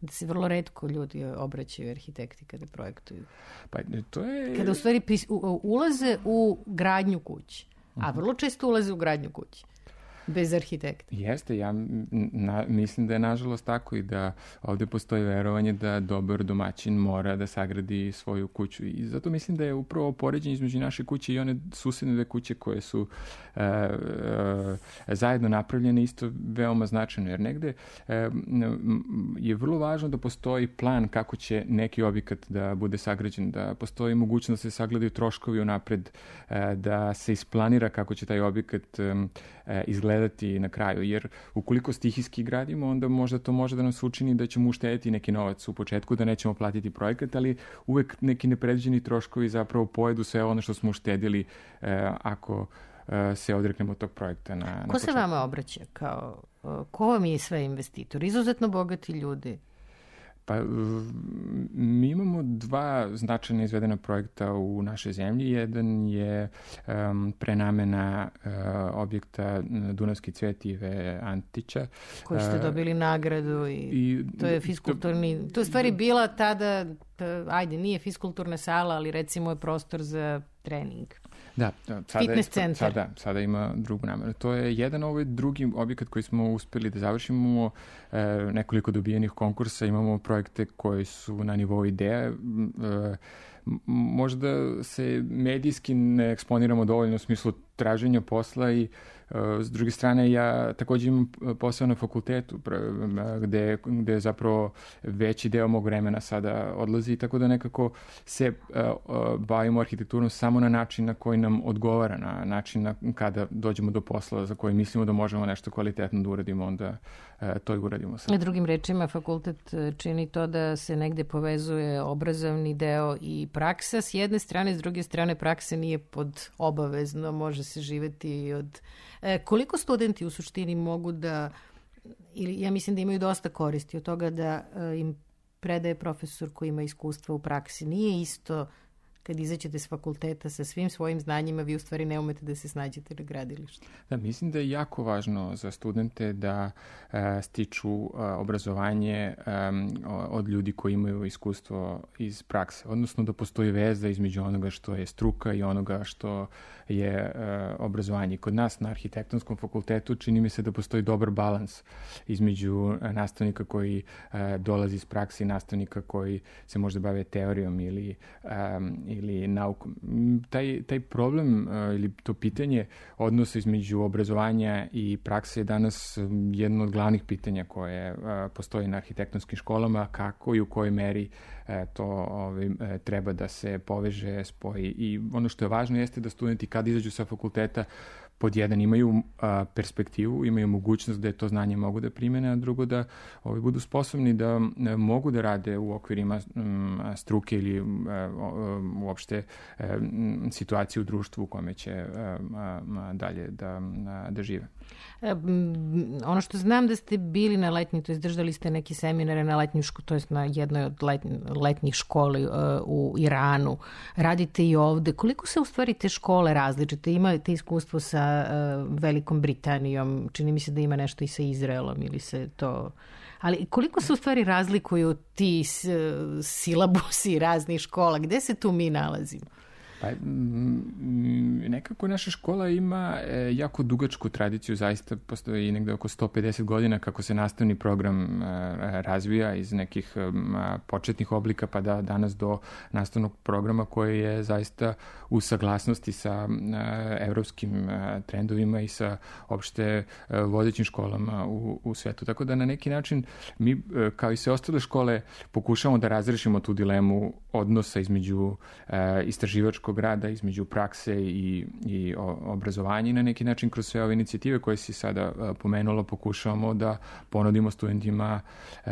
da se vrlo retko ljudi obraćaju arhitekti kada projektuju. Pa to je... Kada u stvari pis, u, ulaze u gradnju kući, a vrlo često ulaze u gradnju kući. Bez arhitekta. Jeste, ja na, mislim da je nažalost tako i da ovde postoji verovanje da dobar domaćin mora da sagradi svoju kuću i zato mislim da je upravo poređenje između naše kuće i one susedne dve kuće koje su e, e, zajedno napravljene isto veoma značajno, jer negde e, je vrlo važno da postoji plan kako će neki objekat da bude sagrađen, da postoji mogućnost da se sagledaju troškovi unapred, e, da se isplanira kako će taj objekat e, izgledati na kraju, jer ukoliko stihijski gradimo, onda možda to može da nam se učini da ćemo uštediti neki novac u početku, da nećemo platiti projekat, ali uvek neki nepredviđeni troškovi zapravo pojedu sve ono što smo uštedili eh, ako eh, se odreknemo tog projekta. Na, na Ko početku. Se vama obraća? Kao, ko vam je sve investitor? Izuzetno bogati ljudi? Pa, mi imamo dva značajna izvedena projekta u našoj zemlji. Jedan je um, prenamena uh, objekta Dunavski cvet Ive Antića. Koji ste dobili nagradu i, i to je fiskulturni... To je stvari bila tada, ajde, nije fiskulturna sala, ali recimo je prostor za trening. Da, sada, fitness centar. Sada, sada ima drugu nameru. To je jedan ovaj drugi objekat koji smo uspeli da završimo. Imamo e, nekoliko dobijenih konkursa, imamo projekte koji su na nivou ideja. E, možda se medijski ne eksponiramo dovoljno u smislu traženja posla i s druge strane, ja također imam posao na fakultetu gde, gde zapravo veći deo mog vremena sada odlazi, tako da nekako se bavimo arhitekturom samo na način na koji nam odgovara, na način na kada dođemo do posla za koji mislimo da možemo nešto kvalitetno da uradimo, onda to i uradimo sada. Drugim rečima, fakultet čini to da se negde povezuje obrazovni deo i praksa s jedne strane, s druge strane praksa nije pod obavezno, može se živeti od... E, koliko studenti u suštini mogu da ili ja mislim da imaju dosta koristi od toga da im predaje profesor koji ima iskustva u praksi. Nije isto kad izađete s fakulteta sa svim svojim znanjima, vi u stvari ne umete da se snađete na gradilištu. Da, mislim da je jako važno za studente da uh, stiču uh, obrazovanje um, od ljudi koji imaju iskustvo iz prakse, odnosno da postoji veza između onoga što je struka i onoga što je uh, obrazovanje. Kod nas na arhitektonskom fakultetu čini mi se da postoji dobar balans između uh, nastavnika koji uh, dolazi iz prakse i nastavnika koji se možda bave teorijom ili um, ili naukom. Taj, taj problem uh, ili to pitanje odnosa između obrazovanja i prakse je danas jedno od glavnih pitanja koje uh, postoji na arhitektonskim školama, kako i u kojoj meri uh, to ovaj, uh, treba da se poveže, spoji. I ono što je važno jeste da studenti kad izađu sa fakulteta pod jedan imaju a, perspektivu, imaju mogućnost da to znanje mogu da primene, a drugo da ovi, budu sposobni da a, mogu da rade u okvirima m, struke ili a, a, uopšte a, m, situacije u društvu u kome će a, a, dalje da, a, da žive. E, ono što znam da ste bili na letnji, to je držali ste neki seminare na letnju školu, to je na jednoj od letnji, letnjih školi uh, u Iranu. Radite i ovde. Koliko se u stvari te škole različite? Imate iskustvo sa Velikom Britanijom, čini mi se da ima nešto i sa Izraelom ili se to... Ali koliko se u stvari razlikuju ti silabusi raznih škola? Gde se tu mi nalazimo? Pa, nekako naša škola ima jako dugačku tradiciju, zaista postoji negde oko sto pedeset godina kako se nastavni program razvija iz nekih početnih oblika pa da danas do nastavnog programa koji je zaista u saglasnosti sa evropskim trendovima i sa opšte vodećim školama u, u svetu. Tako da na neki način mi, kao i sve ostale škole, pokušamo da razrešimo tu dilemu odnosa između istraživačkog rada, između prakse i, i obrazovanja i na neki način kroz sve ove inicijative koje si sada uh, pomenula pokušavamo da ponudimo studentima uh,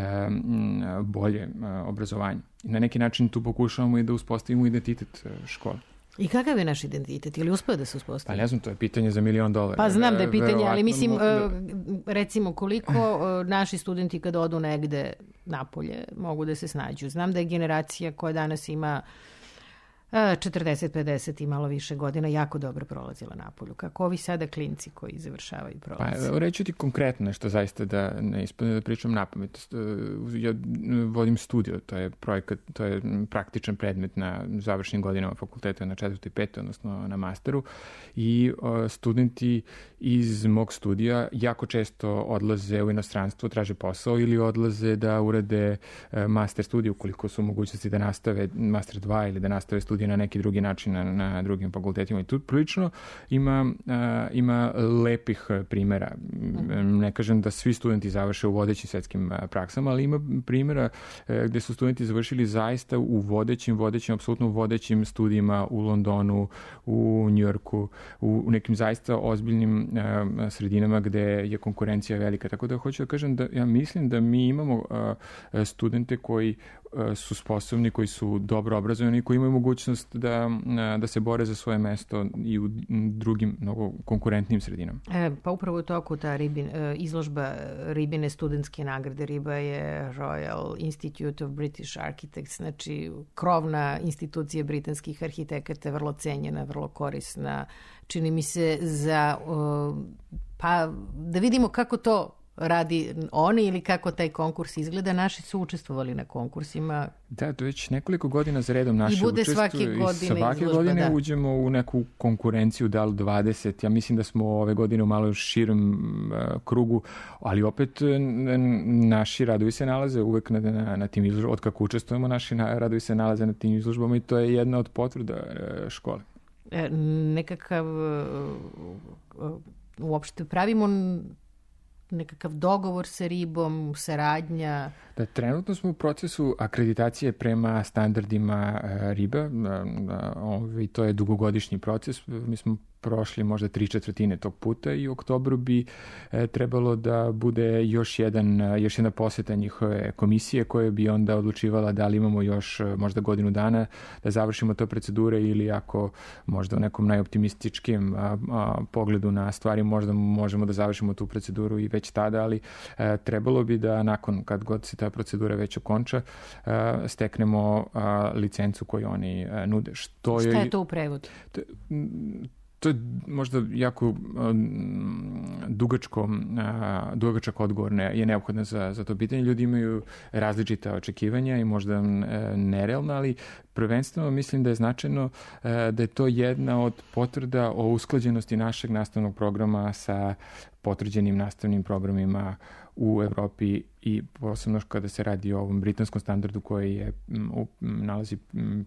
bolje uh, obrazovanje. I na neki način tu pokušavamo i da uspostavimo identitet uh, škole. I kakav je naš identitet? Ili uspio da se uspostavi? Pa ne znam, to je pitanje za milion dolara. Pa znam da je pitanje, ali mislim, recimo koliko naši studenti kad odu negde napolje mogu da se snađu. Znam da je generacija koja danas ima četrdeset pedeset i malo više godina jako dobro prolazila napolju. Kako ovi sada klinci koji završavaju prolaze? Pa reću ti konkretno nešto zaista da ne ispadne da pričam napamet. Ja vodim studiju, to je projekat, to je praktičan predmet na završnim godinama fakulteta na četvrtoj i petoj, odnosno na masteru i studenti iz mog studija jako često odlaze u inostranstvo, traže posao ili odlaze da urade master studiju ukoliko su mogućnosti da nastave master dva ili da nastave studiju na neki drugi način na, na drugim fakultetima. I tu prilično ima, uh, ima lepih primjera. Ne kažem da svi studenti završe u vodećim svetskim praksama, ali ima primjera uh, gde su studenti završili zaista u vodećim, vodećim, apsolutno vodećim studijima u Londonu, u Njujorku, u, u nekim zaista ozbiljnim uh, sredinama gde je konkurencija velika. Tako da hoću da kažem da ja mislim da mi imamo uh, studente koji su sposobni, koji su dobro obrazovani i koji imaju mogućnost da, da se bore za svoje mesto i u drugim mnogo konkurentnim sredinama. E, pa upravo u toku ta ribin, izložba Ribine studentske nagrade. Riba je Royal Institute of British Architects, znači krovna institucija britanskih arhitekata, vrlo cenjena, vrlo korisna. Čini mi se za, pa da vidimo kako to radi oni ili kako taj konkurs izgleda. Naši su učestvovali na konkursima. Da, to već nekoliko godina za redom naše učestvuju. I bude svake godine i svake izložba, godine da. Uđemo u neku konkurenciju, da li dvadeset. Ja mislim da smo ove godine u malo širom uh, krugu, ali opet naši radovi se nalaze uvek na, na, na tim izložbama. Od kako učestvujemo, naši radovi se nalaze na tim izložbama i to je jedna od potvrda uh, škole. E, nekakav uh, uopšte pravimo nekakav dogovor sa Ribom, saradnja? Da, trenutno smo u procesu akreditacije prema standardima Riba. I to je dugogodišnji proces. Mi smo prošli možda tri četvrtine tog puta i u oktobru bi e, trebalo da bude još, jedan, još jedna poseta njihove komisije koja bi onda odlučivala da li imamo još možda godinu dana da završimo te procedure ili ako možda u nekom najoptimističkim a, a, pogledu na stvari možda možemo da završimo tu proceduru i već tada, ali e, trebalo bi da nakon kad god se ta procedura već okonča e, steknemo a, licencu koju oni a, nude. Što Šta je, je to u prevodu? To, to je možda jako um, dugačko, uh, dugačak odgovor ne, je neophodan za, za to pitanje. Ljudi imaju različita očekivanja i možda uh, nerealna, ali prvenstveno mislim da je značajno uh, da je to jedna od potvrda o usklađenosti našeg nastavnog programa sa potvrđenim nastavnim programima u Evropi i posebno kada se radi o ovom britanskom standardu koji je u, nalazi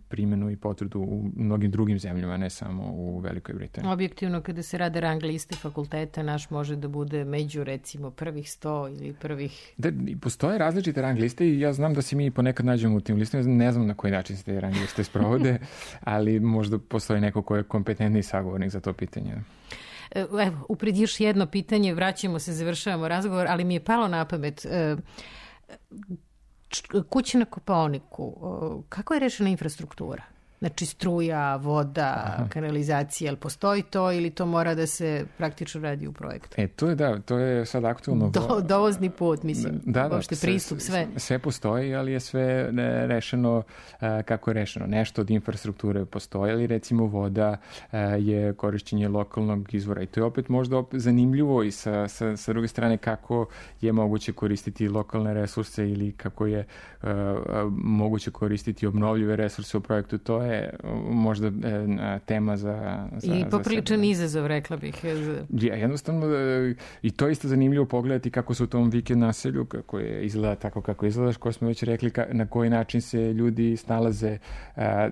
primjenu i potvrdu u mnogim drugim zemljama, ne samo u Velikoj Britaniji. Objektivno, kada se rade rang liste fakulteta, naš može da bude među, recimo, prvih sto ili prvih... Da, postoje različite rang liste i ja znam da se mi ponekad nađemo u tim listama, ne znam na koji način se te rang liste sprovode, ali možda postoji neko ko je kompetentni sagovornik za to pitanje. Evo, upred još jedno pitanje, vraćamo se, završavamo razgovor, ali mi je palo na pamet. Kuća na Kopaoniku, kako je rešena infrastruktura? Znači struja, voda, Aha. kanalizacija, jel postoji to ili to mora da se praktično radi u projektu? E, to je da, to je sad aktualno. Do, dovozni put, mislim, da, da, uopšte pristup, sve. Sve postoji, ali je sve rešeno uh, kako je rešeno. Nešto od infrastrukture postoji, ali recimo voda uh, je korišćenje lokalnog izvora i to je opet možda opet zanimljivo i sa, sa, sa druge strane kako je moguće koristiti lokalne resurse ili kako je uh, moguće koristiti obnovljive resurse u projektu. To je možda e, tema za, za i popriličan izazov, rekla bih. Ja, jednostavno e, i to je isto zanimljivo pogledati kako se u tom vikend naselju, kako je izgleda tako kako izgledaš, ko smo već rekli ka, na koji način se ljudi snalaze a, a,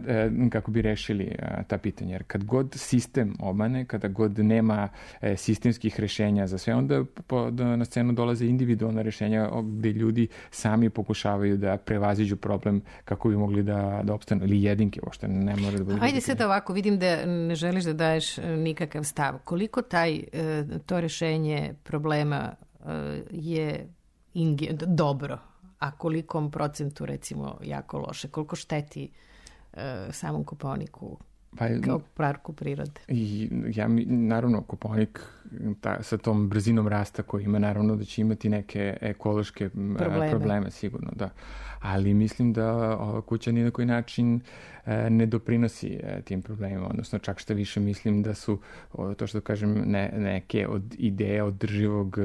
kako bi rešili a, ta pitanja. Jer kad god sistem obmane, kada god nema e, sistemskih rešenja za sve, onda po, da na scenu dolaze individualna rešenja gde ljudi sami pokušavaju da prevaziđu problem kako bi mogli da, da opstanu ili jedinke uopšte. Ne mora da bude. Ajde sad ovako, vidim da ne želiš da daješ nikakav stav. Koliko taj, to rešenje problema je inge, dobro, a kolikom procentu recimo jako loše? Koliko šteti samom Kopaoniku pa, kao parku prirode? I, ja, naravno, Kopaonik ta, sa tom brzinom rasta koji ima, naravno da će imati neke ekološke probleme, probleme sigurno, da. Ali mislim da ova kuća ni na koji način e, ne doprinosi e, tim problemima, odnosno čak što više mislim da su, o, to što kažem, ne, neke od ideje održivog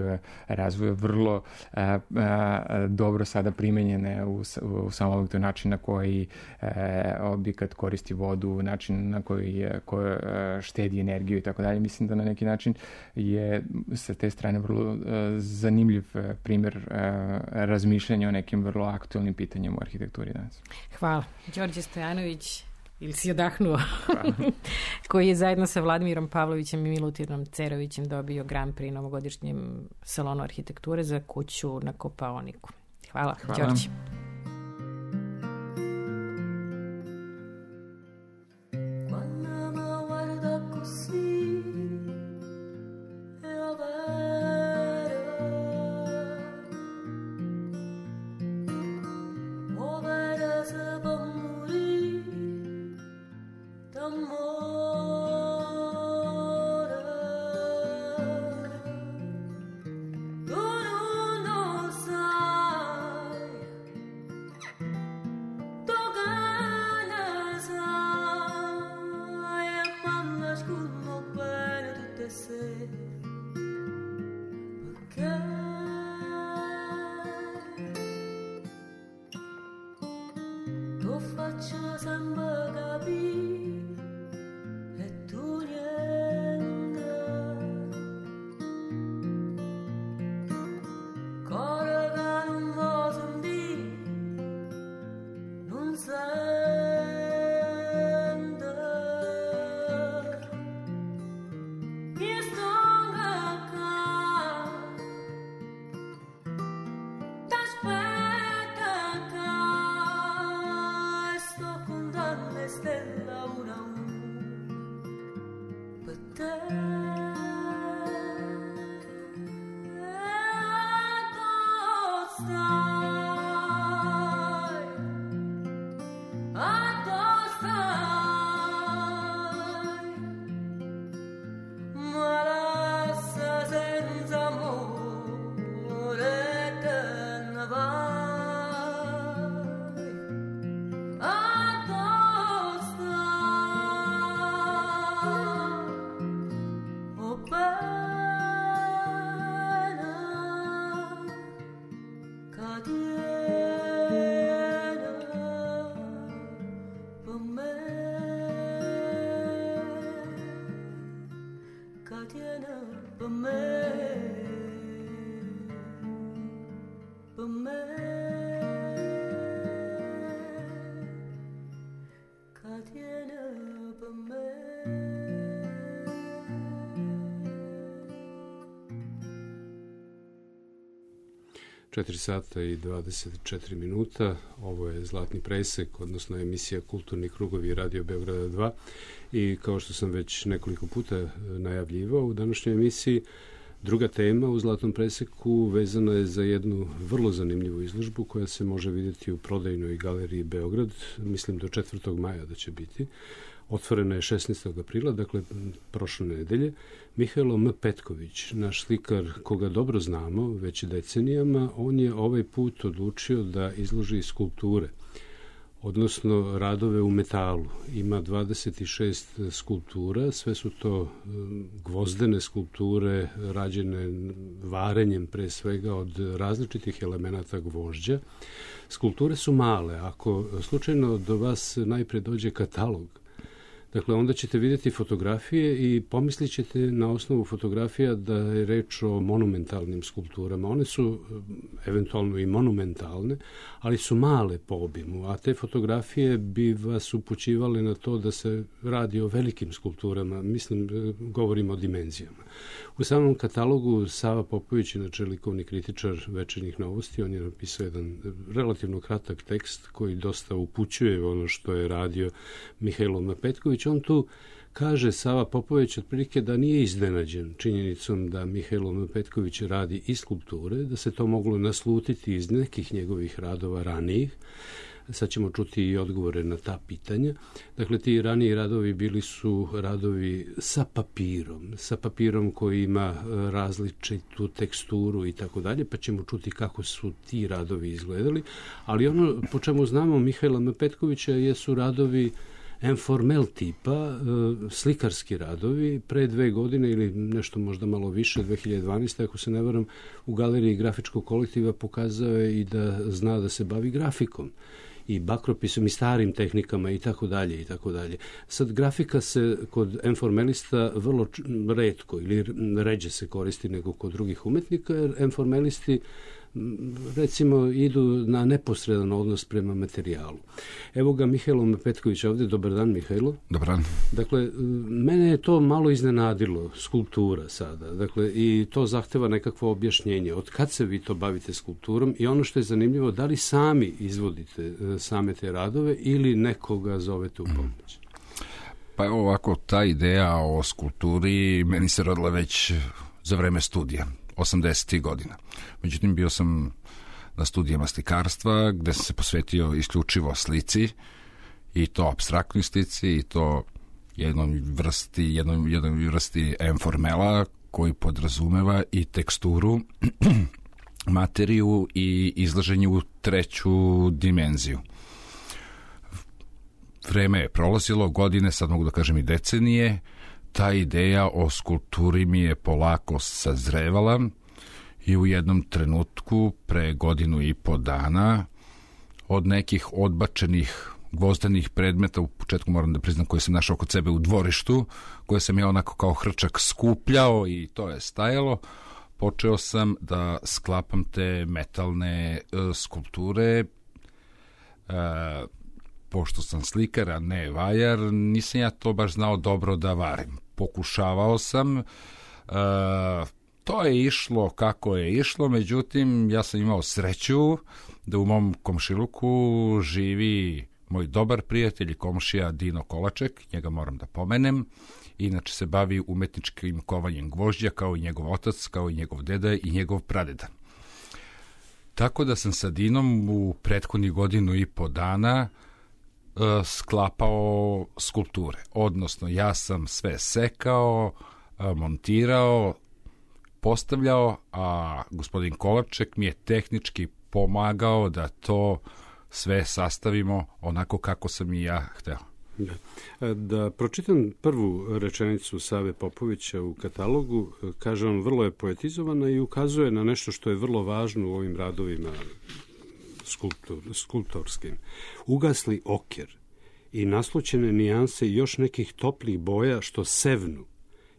razvoja vrlo a, a, dobro sada primenjene u, u samom objektu, način na koji e, objekat koristi vodu, način na koji, je, koji štedi energiju i tako dalje. Mislim da na neki način je sa te strane vrlo a, zanimljiv a, primjer a, razmišljanja o nekim vrlo aktualnim pitanjem u arhitekturi danas. Hvala. Đorđe Stojanović, ili si odahnuo, koji je zajedno sa Vladimirom Pavlovićem i Milutinom Cerovićem dobio Grand Prix novogodišnjem salonu arhitekture za kuću na Kopaoniku. Hvala, Hvala. Đorđe. Sto con danno četiri sata i dvadeset četiri minuta. Ovo je Zlatni presek, odnosno emisija Kulturni krugovi Radio Beograda dva. I kao što sam već nekoliko puta najavljivao u današnjoj emisiji, druga tema u Zlatnom preseku vezana je za jednu vrlo zanimljivu izložbu koja se može vidjeti u prodajnoj galeriji Beograd, mislim do četvrtog maja da će biti. Otvorena je šesnaestog aprila, dakle prošle nedelje. Mihajlo M. Petković, naš slikar koga dobro znamo već decenijama, on je ovaj put odlučio da izloži skulpture, odnosno radove u metalu. Ima dvadeset šest skulptura, sve su to gvozdene skulpture rađene varenjem pre svega od različitih elemenata gvožđa. Skulpture su male, ako slučajno do vas najpre dođe katalog, dakle, onda ćete vidjeti fotografije i pomislit ćete na osnovu fotografija da je reč o monumentalnim skulpturama. One su eventualno i monumentalne, ali su male po obimu, a te fotografije bi vas upućivale na to da se radi o velikim skulpturama, mislim, govorimo o dimenzijama. U samom katalogu Sava Popović, inače likovni kritičar Večernjih novosti, on je napisao jedan relativno kratak tekst koji dosta upućuje ono što je radio Mihajlo M. Petković. On tu kaže, Sava Popović, otprilike da nije iznenađen činjenicom da Mihajlo M. Petković radi i skulpture, da se to moglo naslutiti iz nekih njegovih radova ranijih. Sad ćemo čuti i odgovore na ta pitanja. Dakle, ti raniji radovi bili su radovi sa papirom, sa papirom koji ima različitu teksturu i tako dalje, pa ćemo čuti kako su ti radovi izgledali. Ali ono po čemu znamo Mihajla M. Petkovića jesu radovi informel tipa, slikarski radovi. Pre dve godine ili nešto možda malo više, dve hiljade dvanaeste. ako se ne varam, u galeriji grafičkog kolektiva pokazao je i da zna da se bavi grafikom i bakropisom i starim tehnikama i tako dalje i tako dalje. Sad, grafika se kod informelista vrlo retko ili ređe se koristi nego kod drugih umetnika, jer informelisti recimo idu na neposredan odnos prema materijalu. Evo ga Mihajlo M. Petković ovdje. Dobar dan, Mihajlo. Dobar dan. Dakle, mene je to malo iznenadilo, skulptura sada. Dakle, i to zahteva nekakvo objašnjenje. Od kad se vi to bavite skulpturom i ono što je zanimljivo, da li sami izvodite same te radove ili nekoga zovete u pomoć? Pa evo ovako, ta ideja o skulpturi meni se rodila već za vreme studija, osamdesetih godina. Međutim, bio sam na studijama slikarstva gde sam se posvetio isključivo slici, i to apstraktnoj slici, i to jednoj vrsti, jednoj, jednoj vrsti informela koji podrazumeva i teksturu, materiju i izlaženje u treću dimenziju. Vreme je prolazilo, godine, sad mogu da kažem i decenije, ta ideja o skulpturi mi je polako sazrevala i u jednom trenutku, pre godinu i po dana, od nekih odbačenih gvozdenih predmeta, u početku moram da priznam koje sam našao kod sebe u dvorištu, koje sam ja onako kao hrčak skupljao i to je stajalo, počeo sam da sklapam te metalne uh, skulpture. Uh, pošto sam slikar, a ne vajar, nisam ja to baš znao dobro da varim. Pokušavao sam, uh, to je išlo kako je išlo, međutim, ja sam imao sreću da u mom komšiluku živi moj dobar prijatelj i komšija Dino Kolaček, njega moram da pomenem, inače se bavi umetničkim kovanjem gvožđa, kao i njegov otac, kao i njegov deda i njegov pradeda. Tako da sam sa Dinom u prethodnih godinu i po dana uh, sklapao skulpture. Odnosno, ja sam sve sekao, uh, montirao, postavljao, a gospodin Kolaček mi je tehnički pomagao da to sve sastavimo onako kako sam i ja hteo. Da. Da pročitam prvu rečenicu Save Popovića u katalogu, kaže on, vrlo je poetizovana i ukazuje na nešto što je vrlo važno u ovim radovima skulptor, skulptorskim. Ugasli oker i naslućene nijanse još nekih toplih boja što sevnu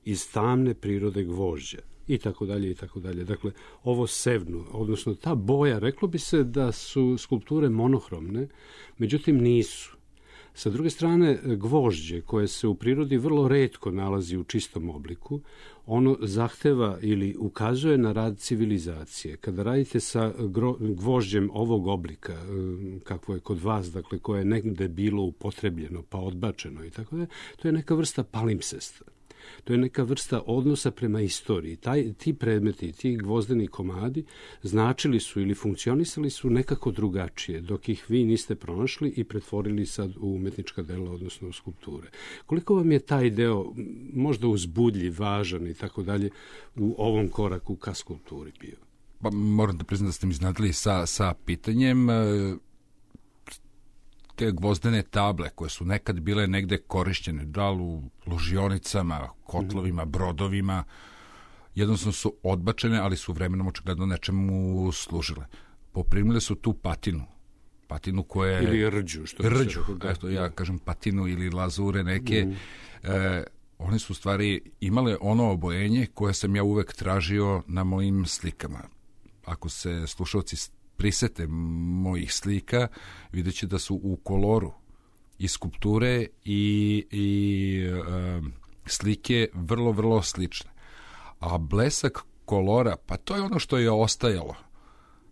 iz tamne prirode gvožđa. I tako dalje, i tako dalje. Dakle, ovo sevnu, odnosno ta boja, reklo bi se da su skulpture monohromne, međutim nisu. Sa druge strane, gvožđe koje se u prirodi vrlo retko nalazi u čistom obliku, ono zahteva ili ukazuje na rad civilizacije. Kada radite sa gvožđem ovog oblika, kakvo je kod vas, dakle, koje je negde bilo upotrebljeno pa odbačeno i tako da, to je neka vrsta palimpsesta. To je neka vrsta odnosa prema istoriji. Taj, ti predmeti, ti gvozdeni komadi značili su ili funkcionisali su nekako drugačije, dok ih vi niste pronašli i pretvorili sad u umetnička dela, odnosno u skulpture. Koliko vam je taj deo možda uzbudljiv, važan i tako dalje u ovom koraku ka skulpturi bio? Pa, moram da priznam da ste mi iznadili sa, sa pitanjem. Te gvozdene table koje su nekad bile negde korišćene, da li u ložionicama, kotlovima, brodovima, jednostavno su odbačene, ali su vremenom očigledno nečemu služile. Poprimile su tu patinu. Patinu koja je... Ili rđu. Što rđu, eto ja kažem patinu ili lazure neke. Mm. E, one su u stvari imale ono obojenje koje sam ja uvek tražio na mojim slikama. Ako se slušalci prisete mojih slika, vidjet će da su u koloru i skulpture i, i e, slike vrlo, vrlo slične. A blesak kolora, pa to je ono što je ostajalo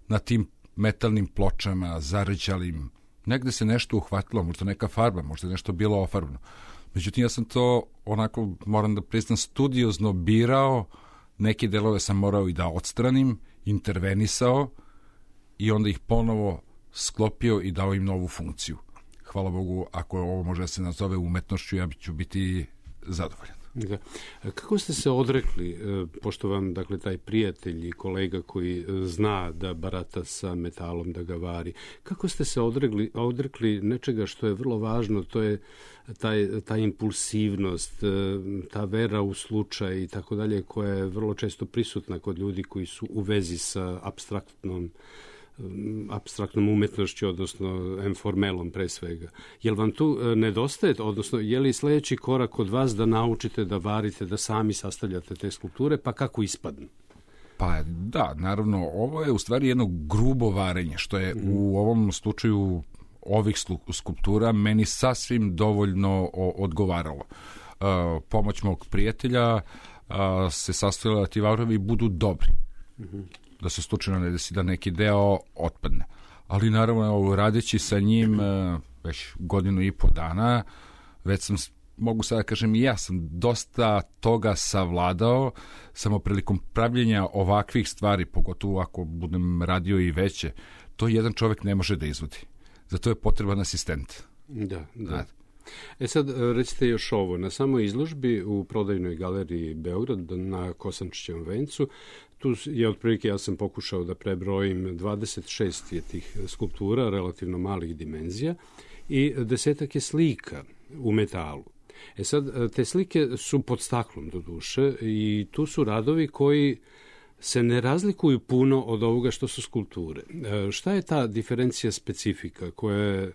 na tim metalnim pločama, zarđalim. Negde se nešto uhvatilo, možda neka farba, možda nešto bilo ofarbno. Međutim, ja sam to onako, moram da priznam, studiozno birao, neke delove sam morao i da odstranim, intervenisao, i onda ih ponovo sklopio i dao im novu funkciju. Hvala Bogu, ako ovo može da se nazove umetnošću, ja ću biti zadovoljan. Da. Kako ste se odrekli, pošto vam, dakle, taj prijatelj i kolega koji zna da barata sa metalom, da ga vari, kako ste se odrekli, odrekli nečega što je vrlo važno, to je taj, ta impulsivnost, ta vera u slučaj i tako dalje, koja je vrlo često prisutna kod ljudi koji su u vezi sa apstraktnom apstraktnom umetnošću, odnosno enformelom pre svega. Jel vam tu nedostaje, odnosno je li sledeći korak kod vas da naučite da varite, da sami sastavljate te skulpture, pa kako ispadnu? Pa da, naravno, ovo je u stvari jedno grubo varenje, što je mm. u ovom slučaju ovih skulptura meni sasvim dovoljno odgovaralo. Uh, pomoć mog prijatelja uh, se sastavila da ti varovi budu dobri. Mm-hmm. Da se slučajno ne desi da neki deo otpadne. Ali naravno, radeći sa njim već godinu i po dana, već sam, mogu sada da kažem, i ja sam dosta toga savladao, samo prilikom pravljenja ovakvih stvari, pogotovo ako budem radio i veće, to jedan čovek ne može da izvodi. Zato je potreban asistent. Da, da. E sad, recite još ovo, na samoj izložbi u prodajnoj galeriji Beograd na Kosančićevom vencu, tu je otprilike, ja sam pokušao da prebrojim, dvadeset šest je tih skulptura, relativno malih dimenzija, i desetak je slika u metalu. E sad, te slike su pod staklom do duše i tu su radovi koji se ne razlikuju puno od ovoga što su skulpture. E, šta je ta diferencija specifika koja je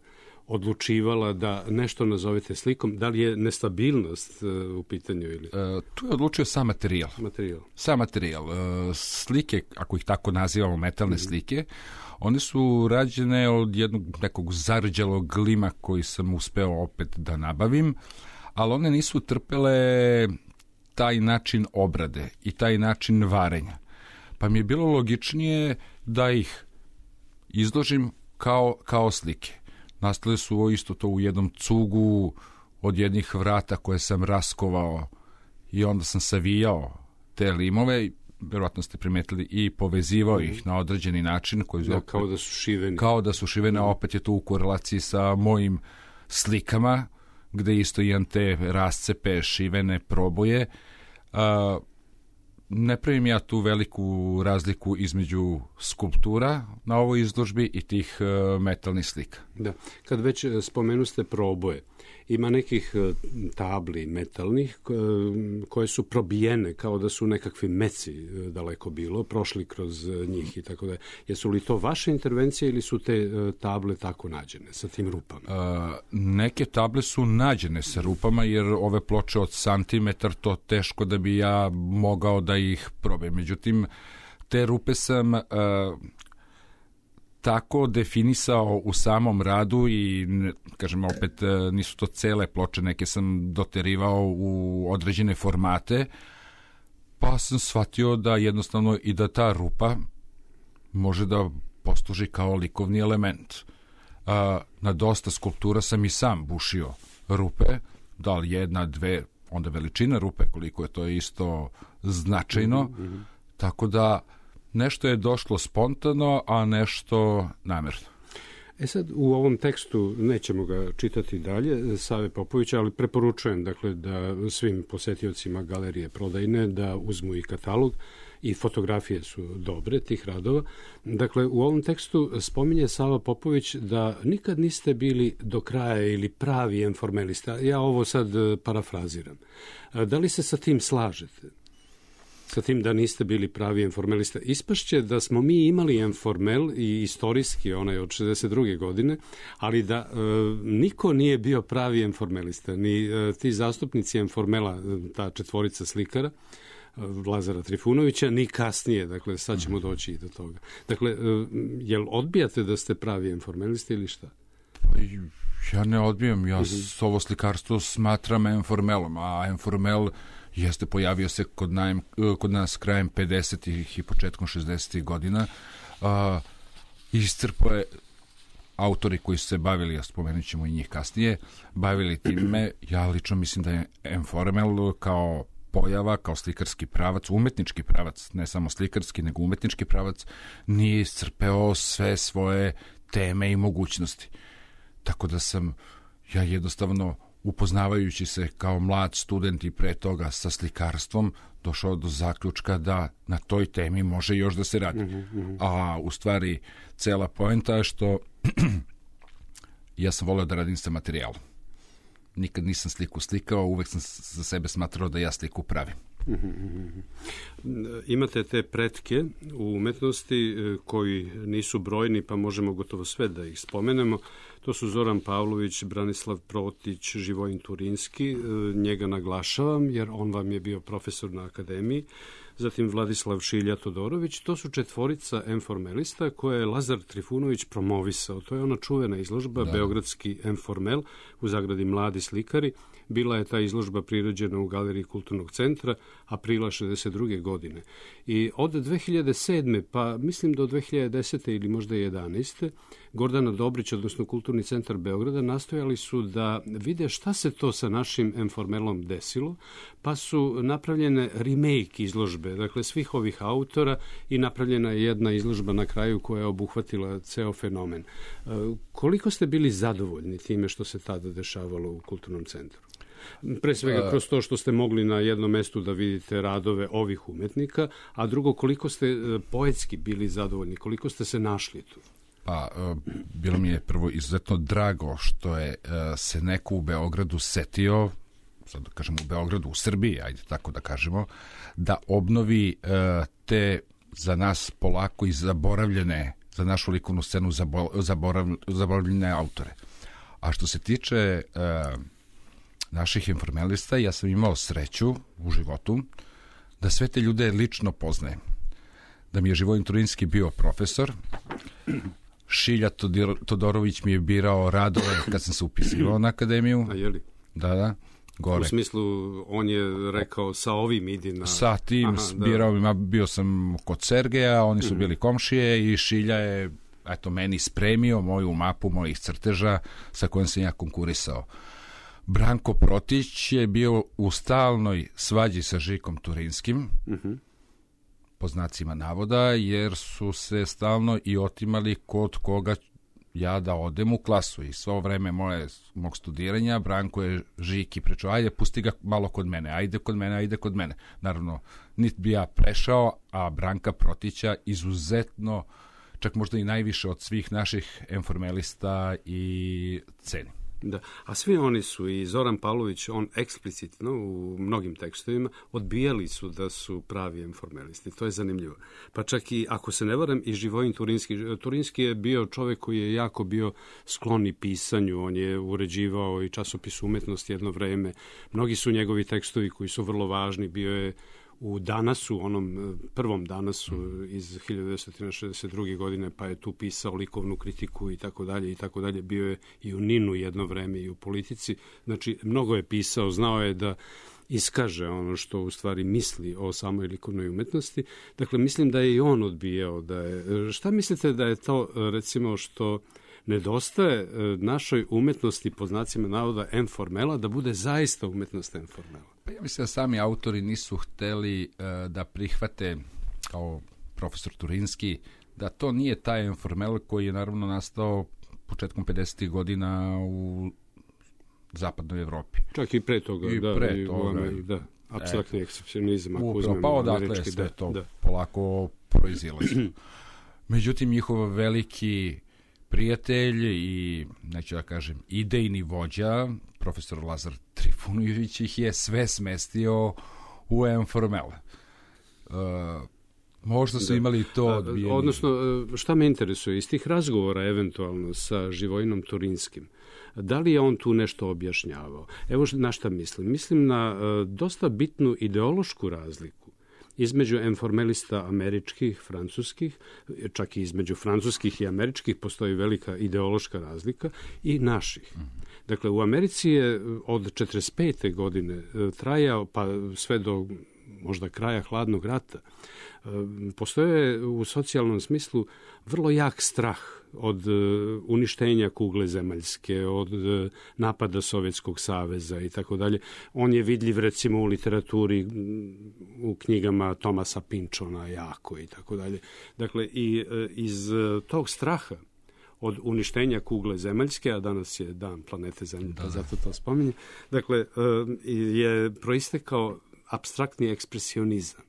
odlučivala da nešto nazovete slikom? Da li je nestabilnost uh, u pitanju? Ili? E, tu je odlučio sam materijal. Materijal. Sam materijal. E, slike, ako ih tako nazivamo, metalne mm-hmm. slike, one su rađene od jednog nekog zarđalog glima koji sam uspeo opet da nabavim, ali one nisu trpele taj način obrade i taj način varenja. Pa mi je bilo logičnije da ih izložim kao, kao slike. Nastale su isto to u jednom cugu od jednih vrata koje sam raskovao i onda sam savijao te limove, verovatno ste primetili, i povezivao ih na određeni način. Koji da, opet, kao da su šivene. Kao da su šivene, opet je to u korelaciji sa mojim slikama, gde isto imam te rascepe, šivene proboje. A, ne pravim ja tu veliku razliku između skulptura na ovoj izložbi i tih uh, metalnih slika. Da, kad već spomenuste proboje, ima nekih tabli metalnih koje su probijene kao da su nekakvi meci daleko bilo, prošli kroz njih i tako da. Jesu li to vaše intervencije ili su te table tako nađene sa tim rupama? Uh, neke table su nađene sa rupama jer ove ploče od santimetar to teško da bi ja mogao da ih probijem. Međutim, te rupe sam uh, tako definisao u samom radu i, kažem, opet nisu to cele ploče, neke sam doterivao u određene formate, pa sam shvatio da jednostavno i da ta rupa može da posluži kao likovni element. A, na dosta skulptura sam i sam bušio rupe, da li jedna, dve, onda veličina rupe, koliko je to isto značajno, mm-hmm. tako da nešto je došlo spontano, a nešto namerno. E sad, u ovom tekstu, nećemo ga čitati dalje, Save Popovića, ali preporučujem dakle, da svim posetiocima galerije Prodajne da uzmu i katalog, i fotografije su dobre tih radova. Dakle, u ovom tekstu spominje Sava Popović da nikad niste bili do kraja ili pravi informelista. Ja ovo sad parafraziram. Da li se sa tim slažete? Sa tim da niste bili pravi informelista. Ispašće da smo mi imali informel i istorijski, onaj od šezdeset druge godine, ali da e, niko nije bio pravi informelista. Ni e, ti zastupnici informela, ta četvorica slikara, Lazara Trifunovića, ni kasnije, dakle sad ćemo doći i do toga. Dakle, jel odbijate da ste pravi informelisti ili šta? Ja ne odbijam, ja uh-huh. ovo slikarstvo smatram informelom, a informel jeste pojavio se kod, najem, kod nas krajem pedesetih i početkom šezdesetih godina. A, iscrpo je autori koji su se bavili, ja spomenut ćemo i njih kasnije, bavili time. Ja lično mislim da je informel kao pojava, kao slikarski pravac, umetnički pravac, ne samo slikarski, nego umetnički pravac, nije iscrpeo sve svoje teme i mogućnosti. Tako da sam ja jednostavno, upoznavajući se kao mlad student i pre toga sa slikarstvom, došao do zaključka da na toj temi može još da se radi. Mm-hmm. A u stvari cela poenta je što ja sam voleo da radim sa materijalom. Nikad nisam sliku slikao, uvek sam za sebe smatrao da ja sliku pravim. Imate te pretke u umetnosti koji nisu brojni, pa možemo gotovo sve da ih spomenemo. To su Zoran Pavlović, Branislav Protić, Živojin Turinski. Njega naglašavam jer on vam je bio profesor na akademiji. Zatim Vladislav Šilja Todorović. To su četvorica informelista koje je Lazar Trifunović promovisao. To je ona čuvena izložba, da. Beogradski informel, u zagradi Mladi slikari. Bila je ta izložba priređena u Galeriji Kulturnog centra aprila šezdeset druge godine. I od dve hiljade sedme pa mislim do dve hiljade desete ili možda jedanaeste Gordana Dobrić, odnosno Kulturni centar Beograda, nastojali su da vide šta se to sa našim informelom desilo, pa su napravljene remake izložbe, dakle svih ovih autora, i napravljena je jedna izložba na kraju koja je obuhvatila ceo fenomen. Koliko ste bili zadovoljni time što se tada dešavalo u Kulturnom centru? Pre svega kroz to što ste mogli na jednom mestu da vidite radove ovih umetnika, a drugo, koliko ste poetski bili zadovoljni, koliko ste se našli tu? Pa, bilo mi je prvo izuzetno drago što je se neko u Beogradu setio, sad da kažemo u Beogradu, u Srbiji, ajde tako da kažemo, da obnovi te za nas polako i zaboravljene, za našu likovnu scenu zaboravljene autore. A što se tiče naših informelista, ja sam imao sreću u životu da sve te ljude lično poznajem. Da mi je Živojin Turinski bio profesor, Šilja Todorović mi je birao radove kad sam se upisivao na akademiju. A je li? Da, da. Gore. U smislu, on je rekao sa ovim idi na... Sa tim Aha, birao, da. Bio sam kod Sergeja, oni su bili komšije i Šilja je, eto, meni spremio moju mapu mojih crteža sa kojom sam ja konkurisao. Branko Protić je bio u stalnoj svađi sa Žikom Turinskim, uh-huh. po znacima navoda, jer su se stalno i otimali kod koga ja da odem u klasu. I svo vreme moje, mog studiranja Branko je Žiki prečao, ajde, pusti ga malo kod mene, ajde kod mene, ajde kod mene. Naravno, niti bi ja prešao, a Branka Protića izuzetno, čak možda i najviše od svih naših informelista i ceni. Da, a svi oni su, i Zoran Pavlović, on eksplicitno u mnogim tekstovima odbijali su da su pravi informelisti. To je zanimljivo. Pa čak i, ako se ne varam, i Živojin Turinski. Turinski je bio čovek koji je jako bio skloni pisanju. On je uređivao i časopis Umetnost jedno vreme. Mnogi su njegovi tekstovi koji su vrlo važni. Bio je u Danasu, onom prvom Danasu iz hiljadu devetsto šezdeset druge. godine, pa je tu pisao likovnu kritiku i tako dalje i tako dalje. Bio je i u Ninu jedno vreme i u politici. Znači, mnogo je pisao, znao je da iskaže ono što u stvari misli o samoj likovnoj umetnosti. Dakle, mislim da je i on odbijao da je... Šta mislite da je to, recimo, što nedostaje našoj umetnosti, po znacima navoda, informela, da bude zaista umetnost informela? Pa ja mislim da sami autori nisu hteli uh, da prihvate, kao profesor Turinski, da to nije taj informel koji je naravno nastao početkom pedesetih godina u zapadnoj Evropi. Čak i pre toga, I da. Pre i toga. U, da, apstraktni ekspresionizam, ako upravo, uzmemo pa odakle američki, sve da, to da. polako proizilazi. Međutim, njihov veliki prijatelj i, neću da kažem, idejni vođa, profesor Lazar Trifunović, ih je sve smestio u informel. Uh, možda su da. imali to odbijenje. Odnosno, šta me interesuje, iz tih razgovora eventualno sa Živojinom Turinskim, da li je on tu nešto objašnjavao? Evo na šta mislim. Mislim na uh, dosta bitnu ideološku razliku između informelista američkih, francuskih, čak i između francuskih i američkih postoji velika ideološka razlika, i naših. Dakle, u Americi je od četrdeset pete. godine trajao, pa sve do možda kraja hladnog rata, postoje u socijalnom smislu vrlo jak strah od uništenja kugle zemaljske, od napada Sovjetskog saveza i tako dalje. On je vidljiv recimo u literaturi, u knjigama Tomasa Pynchona jako i tako dalje. Dakle, i iz tog straha od uništenja kugle zemaljske, a danas je dan planete Zemlje, pa zato to spominje, dakle, je proistekao apstraktni ekspresionizam,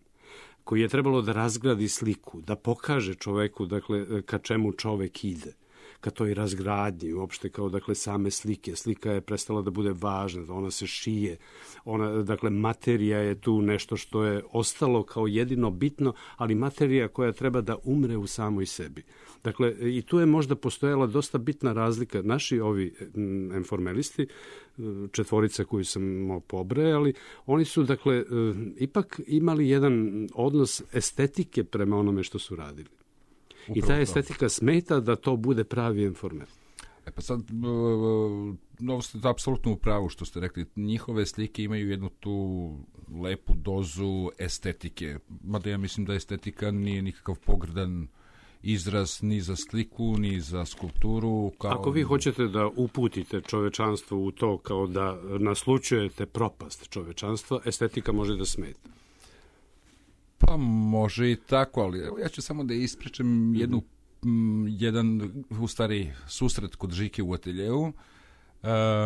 koji je trebalo da razgradi sliku, da pokaže čoveku, dakle, ka čemu čovek ide, ka toj razgradnji, uopšte kao, dakle, same slike. Slika je prestala da bude važna, da ona se šije, ona, dakle, materija je tu nešto što je ostalo kao jedino bitno, ali materija koja treba da umre u samoj sebi. Dakle, i tu je možda postojala dosta bitna razlika. Naši ovi informelisti, četvorica koju sam pobrajali, oni su, dakle, ipak imali jedan odnos estetike prema onome što su radili. Upravo I ta estetika to. smeta da to bude pravi informel. E pa sad, no, ste apsolutno u pravu što ste rekli. Njihove slike imaju jednu tu lepu dozu estetike. Mada ja mislim da estetika nije nikakav pogrdan izraz ni za sliku, ni za skulpturu. Kao... Ako vi hoćete da uputite čovečanstvo u to kao da naslućujete propast čovečanstva, estetika može da smeta. Pa može i tako, ali ja ću samo da ispričam jednu, m, jedan, u stvari, susret kod Žike u ateljevu.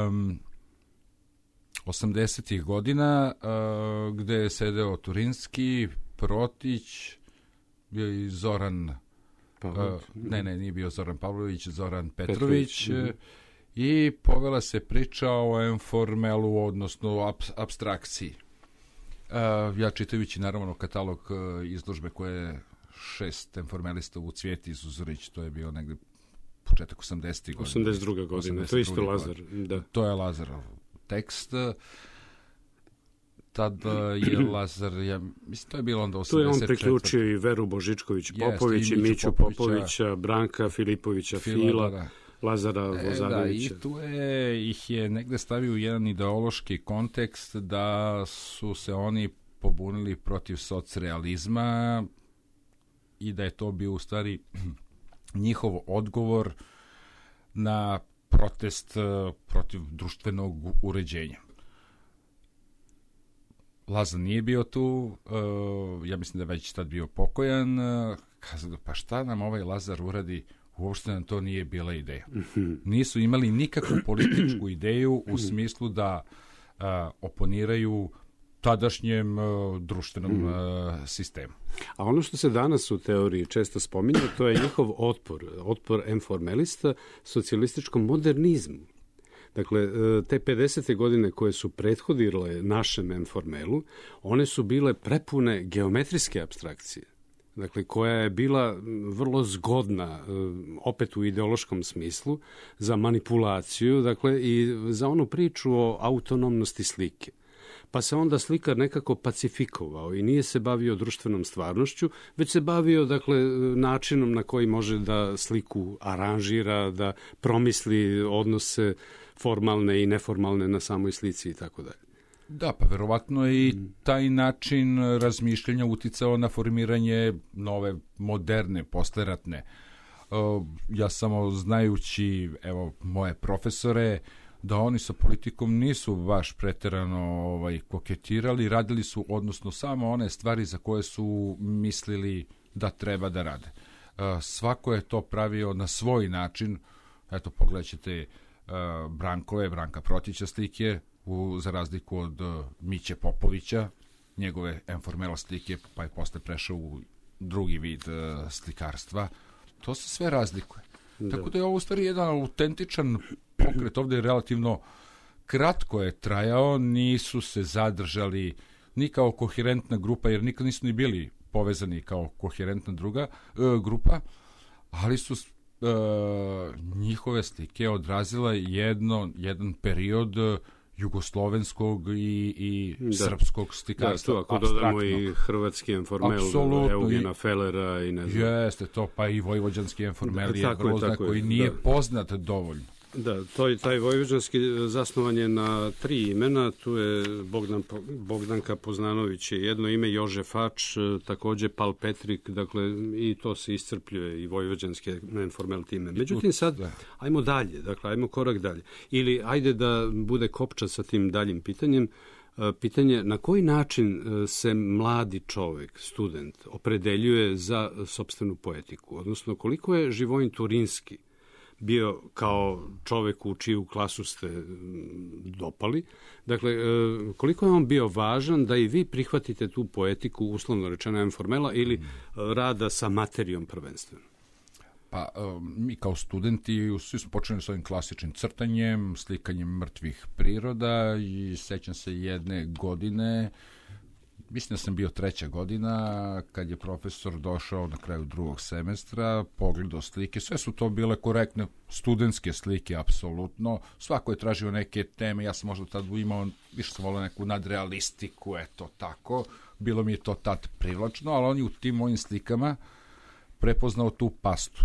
Um, osamdesetih godina, uh, gde je sedeo Turinski, Protić, bio i Zoran... Uh, ne, ne, nije bio Zoran Pavlović, Zoran Petrović, Petrović. I povela se priča o informelu, odnosno o ap, apstrakciji. Uh, ja čitajući naravno katalog uh, izložbe koje je šest informelista u Cvijeti Zuzorić, to je bio negde početak osamdesetih godina. osamdeset druga godina, to je isto Lazar. Da. To je Lazarov tekst. Tad je Lazar, ja, mislim, to je bilo onda osamdeset četvrte. Tu je on priključio i Veru Božičković-Popović, i Miću Popovića, Branka Filipovića, Fila, Fila da. Lazara Vozarevića. E, da, i tu je, ih je negde stavio u jedan ideološki kontekst da su se oni pobunili protiv socrealizma i da je to bio u stvari njihov odgovor na protest protiv društvenog uređenja. Lazar nije bio tu, uh, ja mislim da je već tad bio pokojan, uh, kazao, pa šta nam ovaj Lazar uradi, uopšte nam to nije bila ideja. Nisu imali nikakvu političku ideju u smislu da uh, oponiraju tadašnjem uh, društvenom uh, sistemu. A ono što se danas u teoriji često spominje, to je njihov otpor, otpor informelista socijalističkom modernizmu. Dakle, te pedesete godine koje su prethodile našem informelu, one su bile prepune geometrijske apstrakcije. Dakle, koja je bila vrlo zgodna, opet u ideološkom smislu, za manipulaciju, dakle, i za onu priču o autonomnosti slike. pa se onda slikar nekako pacifikovao i nije se bavio društvenom stvarnošću, već se bavio dakle načinom na koji može da sliku aranžira, da promisli odnose formalne i neformalne na samoj slici i tako dalje. Da, pa verovatno je i taj način razmišljanja uticao na formiranje nove, moderne, posleratne. Ja samo znajući, evo, moje profesore, da oni sa politikom nisu baš preterano ovaj, koketirali, radili su, odnosno, samo one stvari za koje su mislili da treba da rade. Svako je to pravio na svoj način. Eto, pogledat ćete Brankove, Branka Protića slike, u, za razliku od uh, Miće Popovića, njegove informela slike, pa je posle prešao u drugi vid uh, slikarstva. To se sve razlikuje. Da. Tako da je ovo u stvari jedan autentičan pokret. Ovde je relativno kratko je trajao, nisu se zadržali ni kao koherentna grupa, jer nikad nisu ni bili povezani kao koherentna druga uh, grupa, ali su uh, njihove slike odrazila jedno, jedan period uh, jugoslovenskog i, i da. srpskog slikarstva. Da, to ako dodamo i hrvatski informel, Eugena Fellera i ne znam. Jeste to, pa i vojvođanski informel je grozna koji nije da. poznat dovoljno. Da, to, taj vojvođanski zasnovan je na tri imena, tu je Bogdan, Bogdanka Poznanović je jedno ime, Jože Fač, takođe Pal Petrik, dakle i to se iscrpljuje i vojvođanske informel time. Međutim sad, ajmo dalje, dakle ajmo korak dalje. Ili ajde da bude kopča sa tim daljim pitanjem, pitanje na koji način se mladi čovek, student, opredeljuje za sopstvenu poetiku, odnosno koliko je Živojin Turinski bio kao čovek u čiju klasu ste dopali. Dakle, koliko je on bio važan da i vi prihvatite tu poetiku, uslovno rečeno informela, ili rada sa materijom prvenstveno? Pa, mi kao studenti svi smo počeli s ovim klasičnim crtanjem, slikanjem mrtvih priroda i sećam se jedne godine, mislim da sam bio treća godina, kad je profesor došao na kraju drugog semestra, pogledao slike, sve su to bile korektne studentske slike, apsolutno. Svako je tražio neke teme, ja sam možda tad imao, više sam volio neku nadrealistiku, eto tako. Bilo mi je to tad privlačno, ali on je u tim mojim slikama prepoznao tu pastu,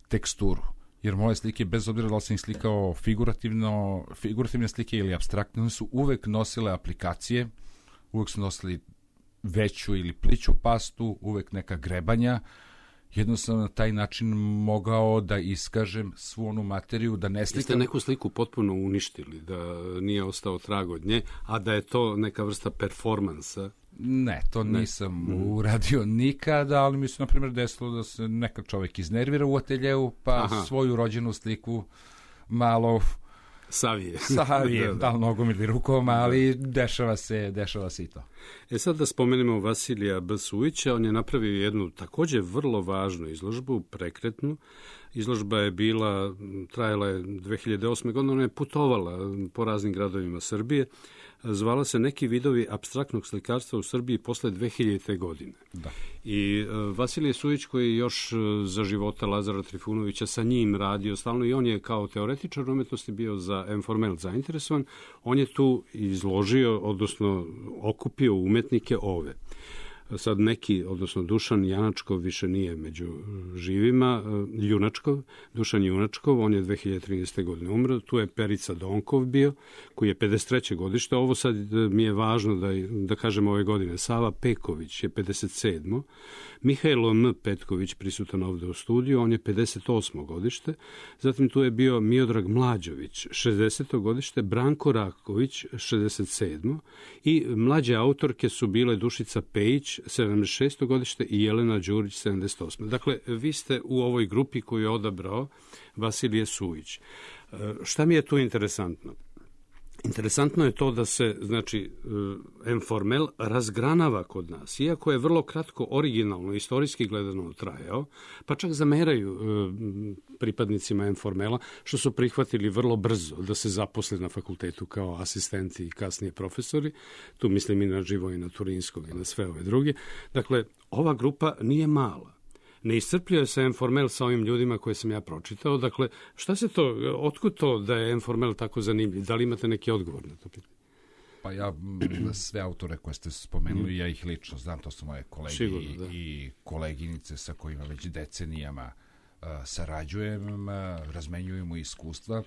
teksturu. Jer moje slike, bez obzira da li sam ih slikao figurativno, figurativne slike ili apstraktne, one su uvek nosile aplikacije, uvek su nosili veću ili pliću pastu, uvek neka grebanja. Jednostavno na taj način mogao da iskažem svu onu materiju, da ne slikam. Jeste neku sliku potpuno uništili, da nije ostao trag od nje, a da je to neka vrsta performansa? Ne, to ne. nisam mm. uradio nikada, ali mi se, na primjer, desilo da se neka čovek iznervira u ateljevu, pa Aha. svoju rođenu sliku malo savije. Savije, da, da. da li nogom ili rukom, ali dešava se, dešava se i to. E sad da spomenemo Vasilija B. Sujića, on je napravio jednu takođe vrlo važnu izložbu, prekretnu. Izložba je bila, trajala je dve hiljade osme. godine, ona je putovala po raznim gradovima Srbije. Zvala se Neki vidovi apstraktnog slikarstva u Srbiji posle dve hiljadite. godine. Da. I uh, Vasilije Sujić, koji je još uh, za života Lazara Trifunovića sa njim radio stalno, i on je kao teoretičar umetnosti bio za informel zainteresovan, on je tu izložio, odnosno okupio umetnike ove. Sad neki, odnosno Dušan Janačkov više nije među živima, Junačkov, Dušan Junačkov, on je dve hiljade trinaeste. godine umro, tu je Perica Donkov bio, koji je pedeset treće. godište, ovo sad mi je važno da, da kažem ove godine, Sava Peković je pedeset sedmo. Mihajlo M. Petković prisutan ovde u studiju, on je pedeset osmo. godište, zatim tu je bio Miodrag Mlađović, šezdeseto. godište, Branko Raković, šezdeset sedmo. i mlađe autorke su bile Dušica Pejić, sedamdeset šesto. godište i Jelena Đurić, sedamdeset osmo. Dakle, vi ste u ovoj grupi koju je odabrao Vasilije Sujić. Šta mi je tu interesantno? Interesantno je to da se, znači, informel razgranava kod nas. Iako je vrlo kratko, originalno, istorijski gledano trajao, pa čak zameraju pripadnicima informela, što su prihvatili vrlo brzo da se zaposle na fakultetu kao asistenti i kasnije profesori. Tu mislim i na Živojina Turinskog i na sve ove druge. Dakle, ova grupa nije mala. Ne iscrpljuje se informel sa ovim ljudima koje sam ja pročitao. Dakle, šta se to, otkud to da je informel tako zanimljiv? Da li imate neki odgovor na to pitanje? Pa ja sve autore koje ste spomenuli, ja ih lično znam, to su moje kolege Sigurno, da. i koleginice sa kojima već decenijama uh, sarađujem, uh, razmenjujemo iskustva.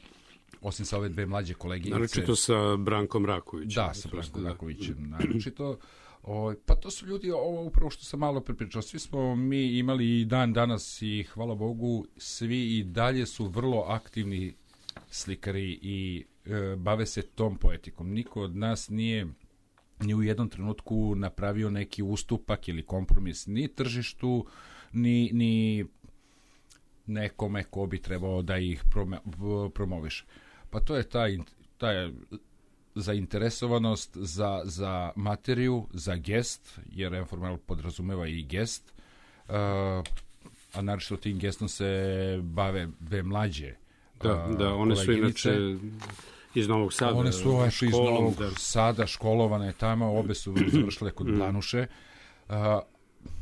Osim sa ove dve mlađe koleginice... Naročito sa Brankom Rakovićem. Da, sa Brankom Rakovićem, da. naročito. O, pa to su ljudi, ovo upravo što sam malo prepričao, svi smo mi imali i dan danas i hvala Bogu, svi i dalje su vrlo aktivni slikari i e, bave se tom poetikom. Niko od nas nije ni u jednom trenutku napravio neki ustupak ili kompromis ni tržištu, ni, ni nekome ko bi trebao da ih promoviše. Pa to je taj, taj zainteresovanost za, za materiju, za gest, jer Informal podrazumeva i gest, uh, a naročito tim gestom se bave dve mlađe Da, uh, da, one koleginice. Su inače iz Novog Sada. One su školom, iz Novog da. Sada, školovane tamo, obe su završile kod Blanuše. Uh,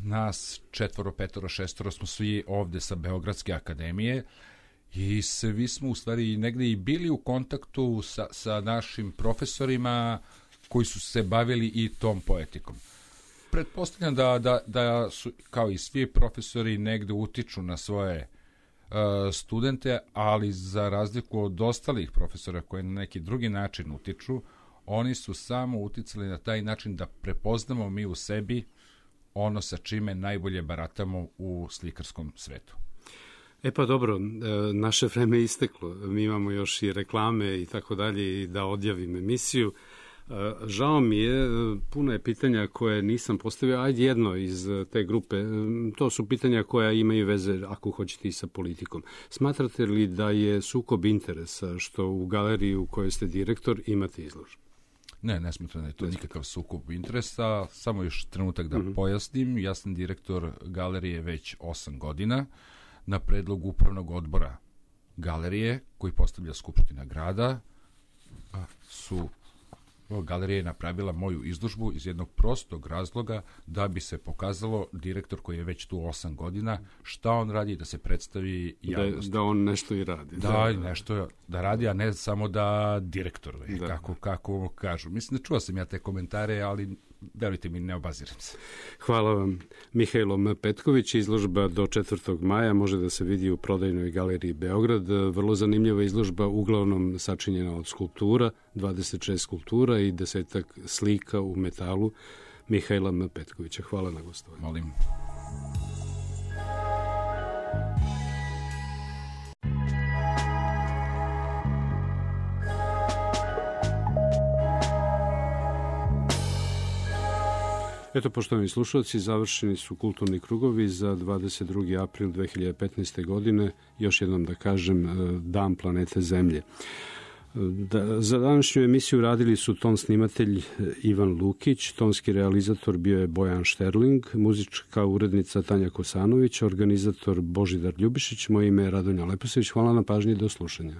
nas četvoro, petoro, šestoro smo svi ovde sa Beogradske akademije i svi smo u stvari negde i bili u kontaktu sa, sa našim profesorima koji su se bavili i tom poetikom. Pretpostavljam da, da, da su, kao i svi profesori, negde utiču na svoje uh, studente, ali za razliku od ostalih profesora koji na neki drugi način utiču, oni su samo uticali na taj način da prepoznamo mi u sebi ono sa čime najbolje baratamo u slikarskom svetu. E pa dobro, naše vreme je isteklo. Mi imamo još i reklame i tako dalje i da odjavim emisiju. Žao mi je, puno je pitanja koje nisam postavio, ajde jedno iz te grupe. To su pitanja koja imaju veze, ako hoćete, i sa politikom. Smatrate li da je sukob interesa što u galeriji u kojoj ste direktor imate izložbu? Ne, ne smatram da je to nikakav sukob interesa. Samo još trenutak da mm-hmm. pojasnim. Ja sam direktor galerije već osam godina na predlog upravnog odbora galerije koji postavlja Skupština grada. Su galerija je napravila moju izložbu iz jednog prostog razloga da bi se pokazalo direktor koji je već tu osam godina šta on radi, da se predstavi javnosti. Da, da on nešto i radi. Da, da, nešto da radi, a ne samo da direktor, da. Kako, kako kažu. Mislim da čuo sam ja te komentare, ali verujte mi, ne obaziram se. Hvala vam. Mihajlo M. Petković, izložba do četvrtog maja može da se vidi u prodajnoj galeriji Beograd. Vrlo zanimljiva izložba, uglavnom sačinjena od skulptura, dvadeset šest skulptura i desetak slika u metalu Mihajla M. Petkovića. Hvala na gostovanju. Molim. Eto, poštovani slušalci, završeni su kulturni krugovi za dvadeset drugi april dve hiljade petnaeste. godine, još jednom da kažem, Dan planete Zemlje. Da, za današnju emisiju radili su ton snimatelj Ivan Lukić, tonski realizator bio je Bojan Šterling, muzička urednica Tanja Kosanović, organizator Božidar Ljubišić, moje ime je Radonja Leposević. Hvala na pažnji, do slušanja.